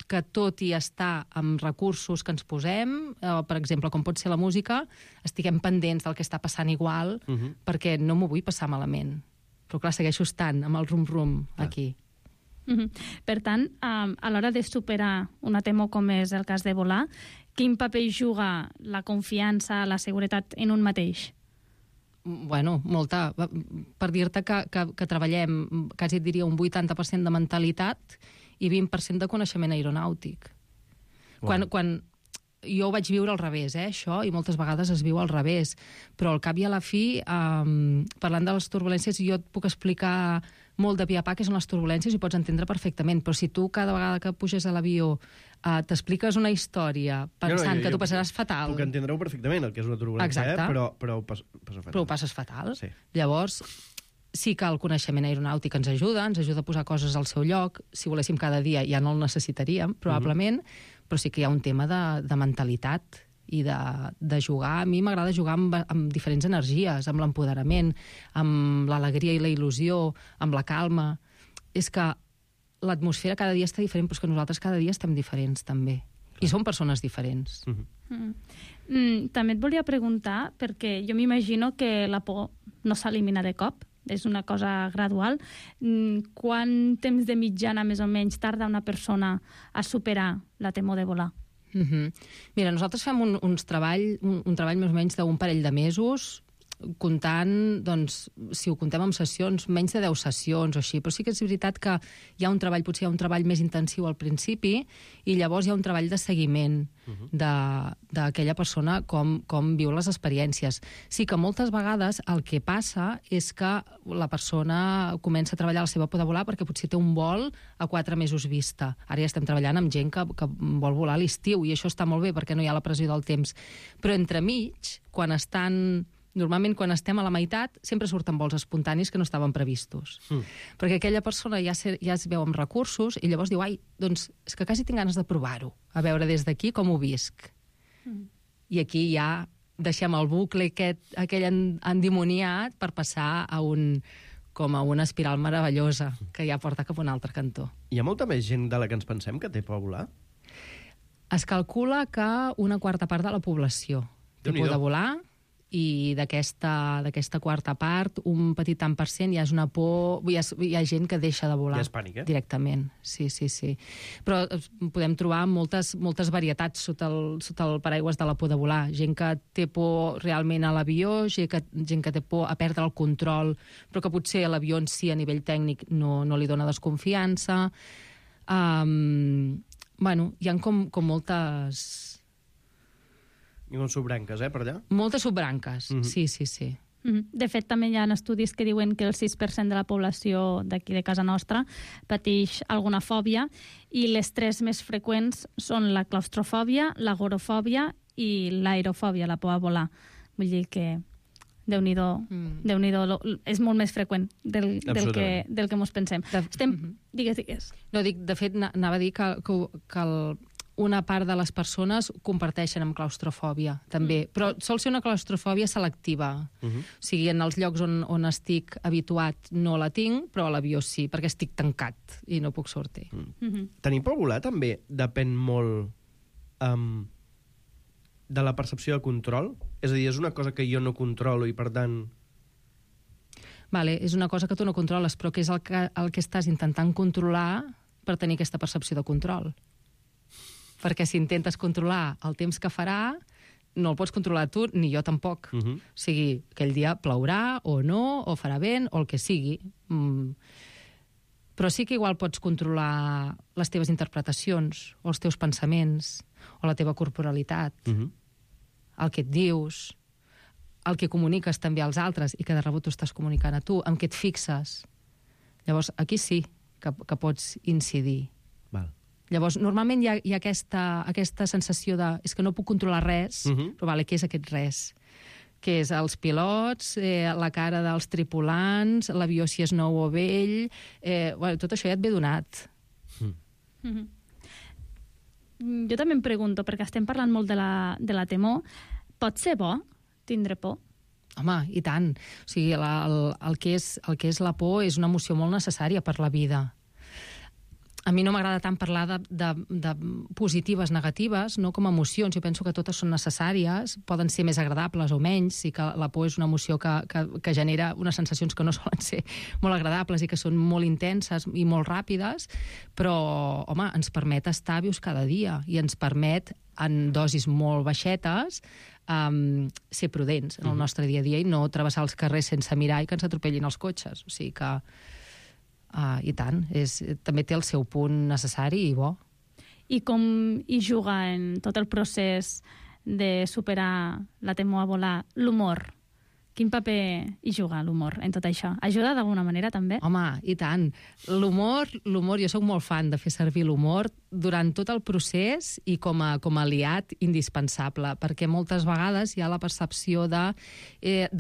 que tot i estar amb recursos que ens posem, per exemple, com pot ser la música, estiguem pendents del que està passant igual, perquè no m'ho vull passar malament. Però clar, segueixo estant amb el rum-rum aquí. Per tant, a l'hora de superar una temor com és el cas de volar, quin paper juga la confiança, la seguretat en un mateix? Bueno, molta. Per dir-te que treballem, quasi et diria, un 80% de mentalitat i 20% de coneixement aeronàutic. Quan jo ho vaig viure al revés, això, i moltes vegades es viu al revés, però al cap i a la fi, parlant de les turbulències, jo et puc explicar molt de pia a pa què són les turbulències i pots entendre perfectament, però si tu cada vegada que puges a l'avió t'expliques una història pensant que tu passaràs fatal... Puc entendre-ho perfectament, el que és una turbulència, però ho passo fatal. Però ho passes fatal. Sí. Llavors, sí que el coneixement aeronàutic ens ajuda a posar coses al seu lloc. Si voléssim cada dia ja no el necessitaríem, probablement, però sí que hi ha un tema de mentalitat i de jugar. A mi m'agrada jugar amb diferents energies, amb l'empoderament, amb l'alegria i la il·lusió, amb la calma. És que l'atmosfera cada dia està diferent, però és que nosaltres cada dia estem diferents, també. I som persones diferents. També et volia preguntar, perquè jo m'imagino que la por no s'elimina de cop, és una cosa gradual. Quant temps de mitjana, més o menys, tarda una persona a superar la temor de volar? Mira, nosaltres fem un treball més o menys d'un parell de mesos, comptant, doncs, si ho contem amb sessions, menys de 10 sessions o així, però sí que és veritat que hi ha un treball, potser hi ha un treball més intensiu al principi i llavors hi ha un treball de seguiment d'aquella persona, com viu les experiències. Sí que moltes vegades el que passa és que la persona comença a treballar la seva por de volar perquè potser té un vol a 4 mesos vista. Ara ja estem treballant amb gent que vol volar a l'estiu i això està molt bé perquè no hi ha la pressió del temps. Però entremig, normalment quan estem a la meitat, sempre surten vols espontanis que no estaven previstos. Perquè aquella persona ja es veu amb recursos i llavors diu, doncs és que quasi tinc ganes de provar-ho, a veure des d'aquí com ho visc. I aquí ja deixem el bucle aquell endimoniat per passar com a una espiral meravellosa que ja porta cap a un altre cantó. Hi ha molta més gent de la que ens pensem que té por a volar? Es calcula que una quarta part de la població té por de volar i d'aquesta quarta part, un petit tant per cent ja és una por... Hi ha gent que deixa de volar. Ja és pànic, Directament, sí. Però podem trobar moltes varietats sota el paraigües de la por de volar. Gent que té por realment a l'avió, gent que té por a perdre el control, però que potser a l'avió en si a nivell tècnic no li dona desconfiança. Bueno, hi ha com moltes... Hi ha subbranques, per allà? Moltes subbranques, sí. De fet, també hi ha estudis que diuen que el 6% de la població d'aquí de casa nostra pateix alguna fòbia i les 3 més freqüents són la claustrofòbia, l'agorafòbia i l'aerofòbia, la por a volar. Vull dir que Déu-n'hi-do, és molt més freqüent del que mos pensem. Digues. No, de fet, anava a dir que una part de les persones comparteixen amb claustrofòbia, també. Però sol ser una claustrofòbia selectiva. O sigui, en els llocs on estic habituat no la tinc, però a l'avió sí, perquè estic tancat i no puc sortir. Tenir por a volar també depèn molt de la percepció de control? És a dir, és una cosa que jo no controlo i, per tant... Vale, és una cosa que tu no controles, però que és el que estàs intentant controlar per tenir aquesta percepció de control. Perquè si intentes controlar el temps que farà, no el pots controlar tu, ni jo tampoc. O sigui, aquell dia plourà o no, o farà vent, o el que sigui. Però sí que igual pots controlar les teves interpretacions, o els teus pensaments, o la teva corporalitat, el que et dius, el que comuniques també als altres i que de rebut tu estàs comunicant a tu, amb què et fixes. Llavors, aquí sí que pots incidir. Val. Llavors, normalment hi ha aquesta sensació de és que no puc controlar res, però vale, què és aquest res? Què és els pilots, la cara dels tripulants, l'avió si és nou o vell... Bueno, tot això ja et ve donat. Jo també em pregunto, perquè estem parlant molt de la temor, pot ser bo tindre por? Home, i tant. O sigui, el que és la por és una emoció molt necessària per la vida. A mi no m'agrada tant parlar de positives, negatives, no com emocions. Jo penso que totes són necessàries, poden ser més agradables o menys, i que la por és una emoció que genera unes sensacions que no solen ser molt agradables i que són molt intenses i molt ràpides, però, home, ens permet estar vius cada dia i ens permet, en dosis molt baixetes, ser prudents en el nostre dia a dia i no travessar els carrers sense mirar i que ens atropellin els cotxes. O sigui que... I tant, també té el seu punt necessari i bo. I com hi juga en tot el procés de superar la temor a volar l'humor? Quin paper hi juga l'humor en tot això? Ajuda d'alguna manera, també? Home, i tant. L'humor, jo sóc molt fan de fer servir l'humor durant tot el procés i com a aliat indispensable, perquè moltes vegades hi ha la percepció de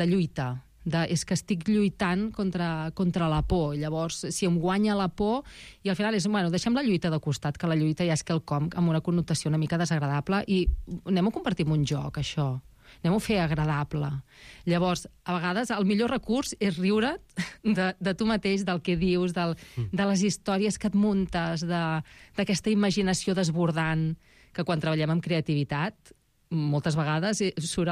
lluita, és que estic lluitant contra la por. Llavors, si em guanya la por, i al final és, bueno, deixem la lluita de costat, que la lluita ja és quelcom amb una connotació una mica desagradable, i anem a convertir en un joc, això. Anem a fer agradable. Llavors, a vegades, el millor recurs és riure't de tu mateix, del que dius, de les històries que et muntes, d'aquesta imaginació desbordant, que quan treballem amb creativitat moltes vegades surt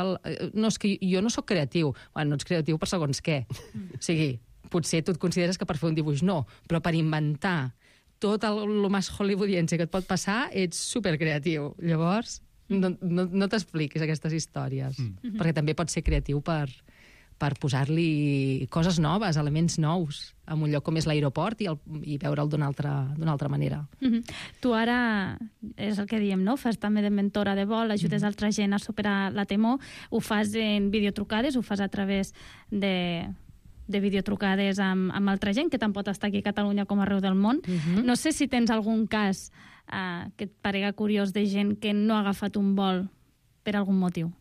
no, és que jo no sóc creatiu. Bueno, no ets creatiu per segons què. O sigui, potser tu et consideres que per fer un dibuix no, però per inventar tot el més hollywoodiense que et pot passar, ets supercreatiu. Llavors, no t'expliquis aquestes històries, perquè també pots ser creatiu per posar-li coses noves, elements nous, en un lloc com és l'aeroport i veure'l d'una altra manera. Tu ara, és el que diem, no? Fas també de mentora de vol, ajudes altra gent a superar la temor, ho fas en videotrucades, ho fas a través de videotrucades amb altra gent, que tant pot estar aquí a Catalunya com arreu del món. No sé si tens algun cas que et parega curiós de gent que no ha agafat un vol per algun motiu.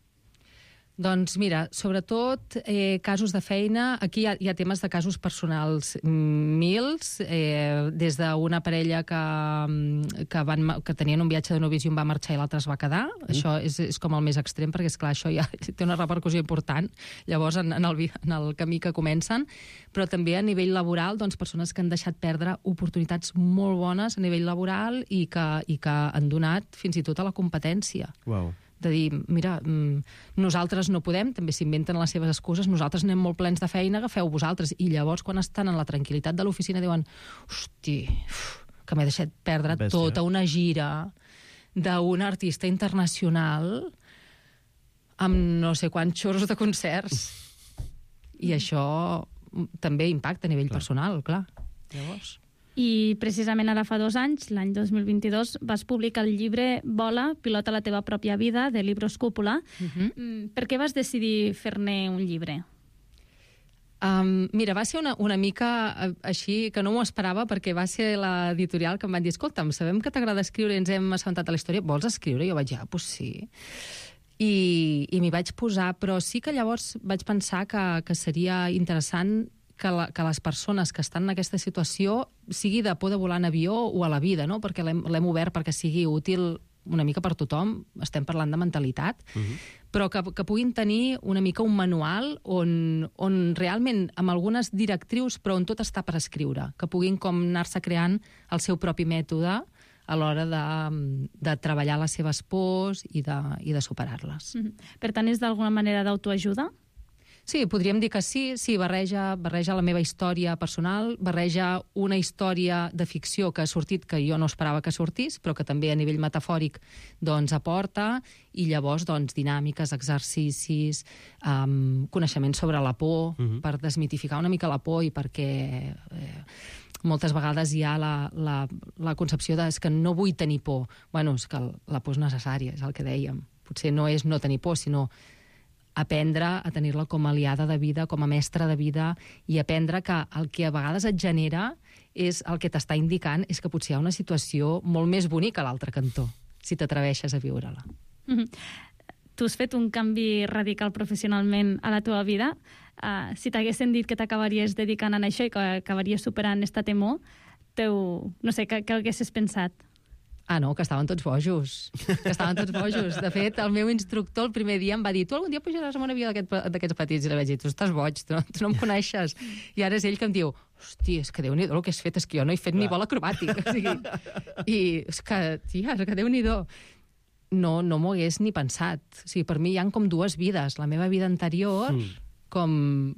Doncs mira, sobretot casos de feina, aquí hi ha temes de casos personals mils, des d'una parella que tenien un viatge de novis i un va marxar i l'altre es va quedar. Això és com el més extrem, perquè és clar, això ja té una repercussió important, llavors en el camí que comencen, però també a nivell laboral, doncs persones que han deixat perdre oportunitats molt bones a nivell laboral i que han donat fins i tot a la competència. Wow. de dir, mira, nosaltres no podem, també s'inventen les seves excuses, nosaltres anem molt plens de feina, agafeu vosaltres. I llavors, quan estan en la tranquil·litat de l'oficina, diuen, hosti, que m'he deixat perdre tota una gira d'un artista internacional amb no sé quants xurros de concerts. I això també impacta a nivell personal, clar. Llavors... I precisament ara fa 2 anys, l'any 2022, vas publicar el llibre Vola, pilota la teva pròpia vida, de Libros Cúpula. Per què vas decidir fer-ne un llibre? Mira, va ser una mica així, que no m'ho esperava, perquè va ser l'editorial que em van dir, escolta'm, sabem que t'agrada escriure i ens hem assabentat a la història, vols escriure? I jo vaig dir, pues sí. I m'hi vaig posar, però sí que llavors vaig pensar que seria interessant que les persones que estan en aquesta situació sigui de por de volar en avió o a la vida, no? Perquè l'hem obert perquè sigui útil una mica per tothom, estem parlant de mentalitat, però que puguin tenir una mica un manual on realment, amb algunes directrius, però on tot està per escriure, que puguin com anar-se creant el seu propi mètode a l'hora de treballar les seves pors i de superar-les. Per tant, és d'alguna manera d'autoajuda? Sí, podríem dir que sí, barreja la meva història personal, barreja una història de ficció que ha sortit que jo no esperava que sortís, però que també a nivell metafòric doncs aporta, i llavors doncs dinàmiques, exercicis, coneixements sobre la por, per desmitificar una mica la por i perquè moltes vegades hi ha la concepció de que no vull tenir por. Bueno, és que la por és necessària, és el que dèiem. Potser no és no tenir por, sinó aprendre a tenir-la com a aliada de vida, com a mestra de vida, i aprendre que el que a vegades et genera és el que t'està indicant és que potser hi ha una situació molt més bonica a l'altre cantó, si t'atreveixes a viure-la. Tu has fet un canvi radical professionalment a la teva vida. Si t'haguessin dit que t'acabaries dedicant a això i que acabaries superant esta temor, no sé, què haguessis pensat? No, que estaven tots bojos. De fet, el meu instructor el primer dia em va dir, tu algun dia pujaràs en un avió d'aquests petits? I li vaig dir, tu estàs boig, tu no em coneixes. I ara és ell que em diu, hosti, és que Déu-n'hi-do el que has fet, és que jo no he fet ni vol acrobàtic. I és que, tia, que Déu-n'hi-do. No m'ho hagués ni pensat. O sigui, per mi hi ha com 2 vides. La meva vida anterior, com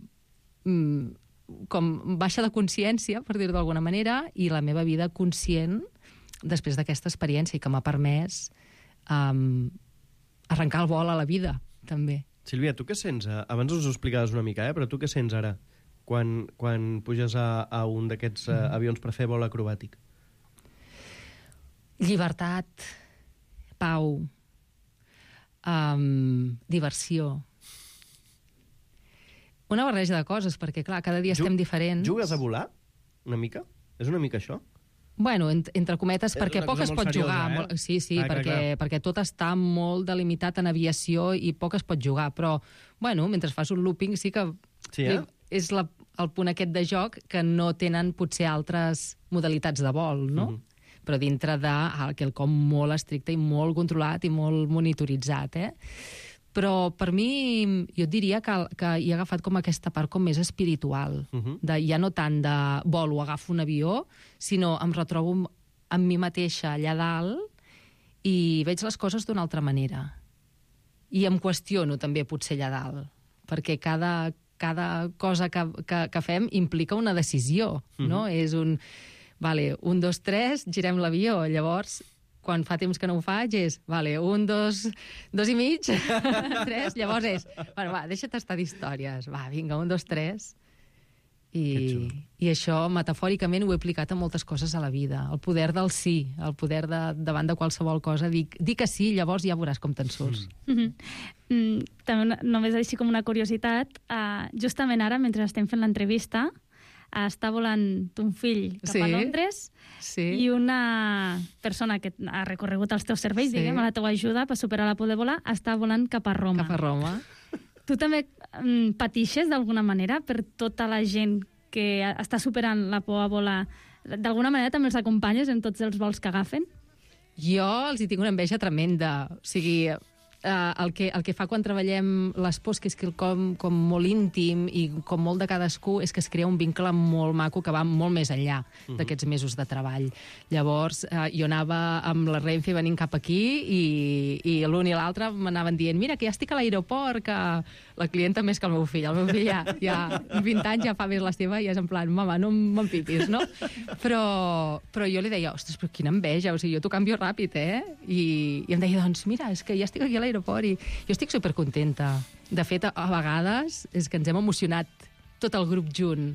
baixa de consciència, per dir-ho d'alguna manera, i la meva vida conscient després d'aquesta experiència i que m'ha permès arrencar el vol a la vida, també. Sílvia, tu què sents? Abans us ho explicaves una mica, però tu què sents ara quan puges a un d'aquests avions per fer vol acrobàtic? Llibertat, pau, diversió. Una barreja de coses, perquè, clar, cada dia estem diferents. Jugues a volar? Una mica? És una mica això? Bueno, entre cometes, perquè poc es pot jugar. Sí, perquè tot està molt delimitat en aviació i poc es pot jugar, però, bueno, mentre fas un looping sí que és el punt aquest de joc que no tenen potser altres modalitats de vol, no? Però dintre de quelcom molt estricte i molt controlat i molt monitoritzat, Però per mi, jo et diria que hi he agafat com aquesta part com més espiritual. Ja no tant de volo, agafo un avió, sinó em retrobo amb mi mateixa allà dalt i veig les coses d'una altra manera. I em qüestiono també potser allà dalt, perquè cada cosa que fem implica una decisió, no? És vale, 1, 2, 3, girem l'avió, llavors... Quan fa temps que no ho faig és, vale, 1, 2, 2 i mig, 3, llavors és, bueno, va, deixa't estar d'històries, va, vinga, 1, 2, 3. I això, metafòricament, ho he aplicat a moltes coses a la vida. El poder del sí, el poder davant de qualsevol cosa. Dir que sí, llavors ja veuràs com te'n surts. També, només així com una curiositat, justament ara, mentre estem fent l'entrevista, està volant ton fill cap a Londres i una persona que ha recorregut els teus serveis, diguem, a la teua ajuda per superar la por de volar, està volant cap a Roma. Cap a Roma. Tu també patixes d'alguna manera per tota la gent que està superant la por a volar? D'alguna manera també els acompanyes en tots els vols que agafen? Jo els hi tinc una enveja tremenda. O sigui, el que fa quan treballem les pors, que és quelcom com molt íntim i com molt de cadascú, és que es crea un vincle molt maco que va molt més enllà d'aquests mesos de treball. Llavors, jo anava amb la Renfe venint cap aquí i l'un i l'altre m'anaven dient mira, que ja estic a l'aeroport, que la clienta més que el meu fill. El meu fill ja 20 anys ja fa més la seva i és en plan, mama, no m'empipis, no? Però jo li deia, ostres, però quina enveja, o sigui, jo t'ho canvio ràpid, I em deia, doncs mira, és que ja estic aquí a l'aeroport i jo estic supercontenta. De fet, a vegades és que ens hem emocionat tot el grup junt.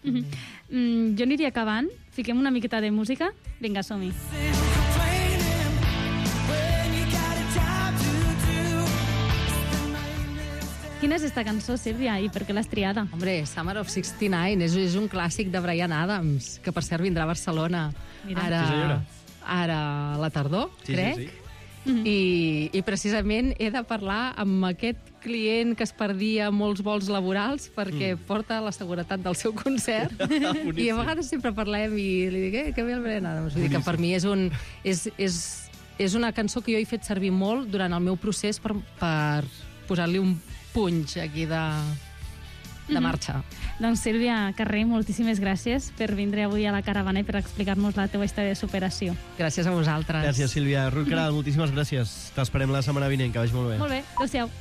Jo aniria acabant. Fiquem una miqueta de música. Vinga, som-hi. Quina és esta cançó, Sílvia, i per què l'has triada? Hombre, Summer of 69 és un clàssic de Bryan Adams, que per cert vindrà a Barcelona ara a la tardor, crec. Sí. I precisament he de parlar amb aquest client que es perdia molts vols laborals perquè porta la seguretat del seu concert i a vegades sempre parlem i li dic, que bé el Bryan Adams. Vull dir que per mi és una cançó que jo he fet servir molt durant el meu procés per posar-li un punx aquí de marxa. Doncs Sílvia Carré, moltíssimes gràcies per vindre avui a la caravana i per explicar-nos la teva història de superació. Gràcies a vosaltres. Gràcies, Sílvia. Ruth Caral, moltíssimes gràcies. T'esperem la setmana vinent, que vagi molt bé. Molt bé, adéu-siau.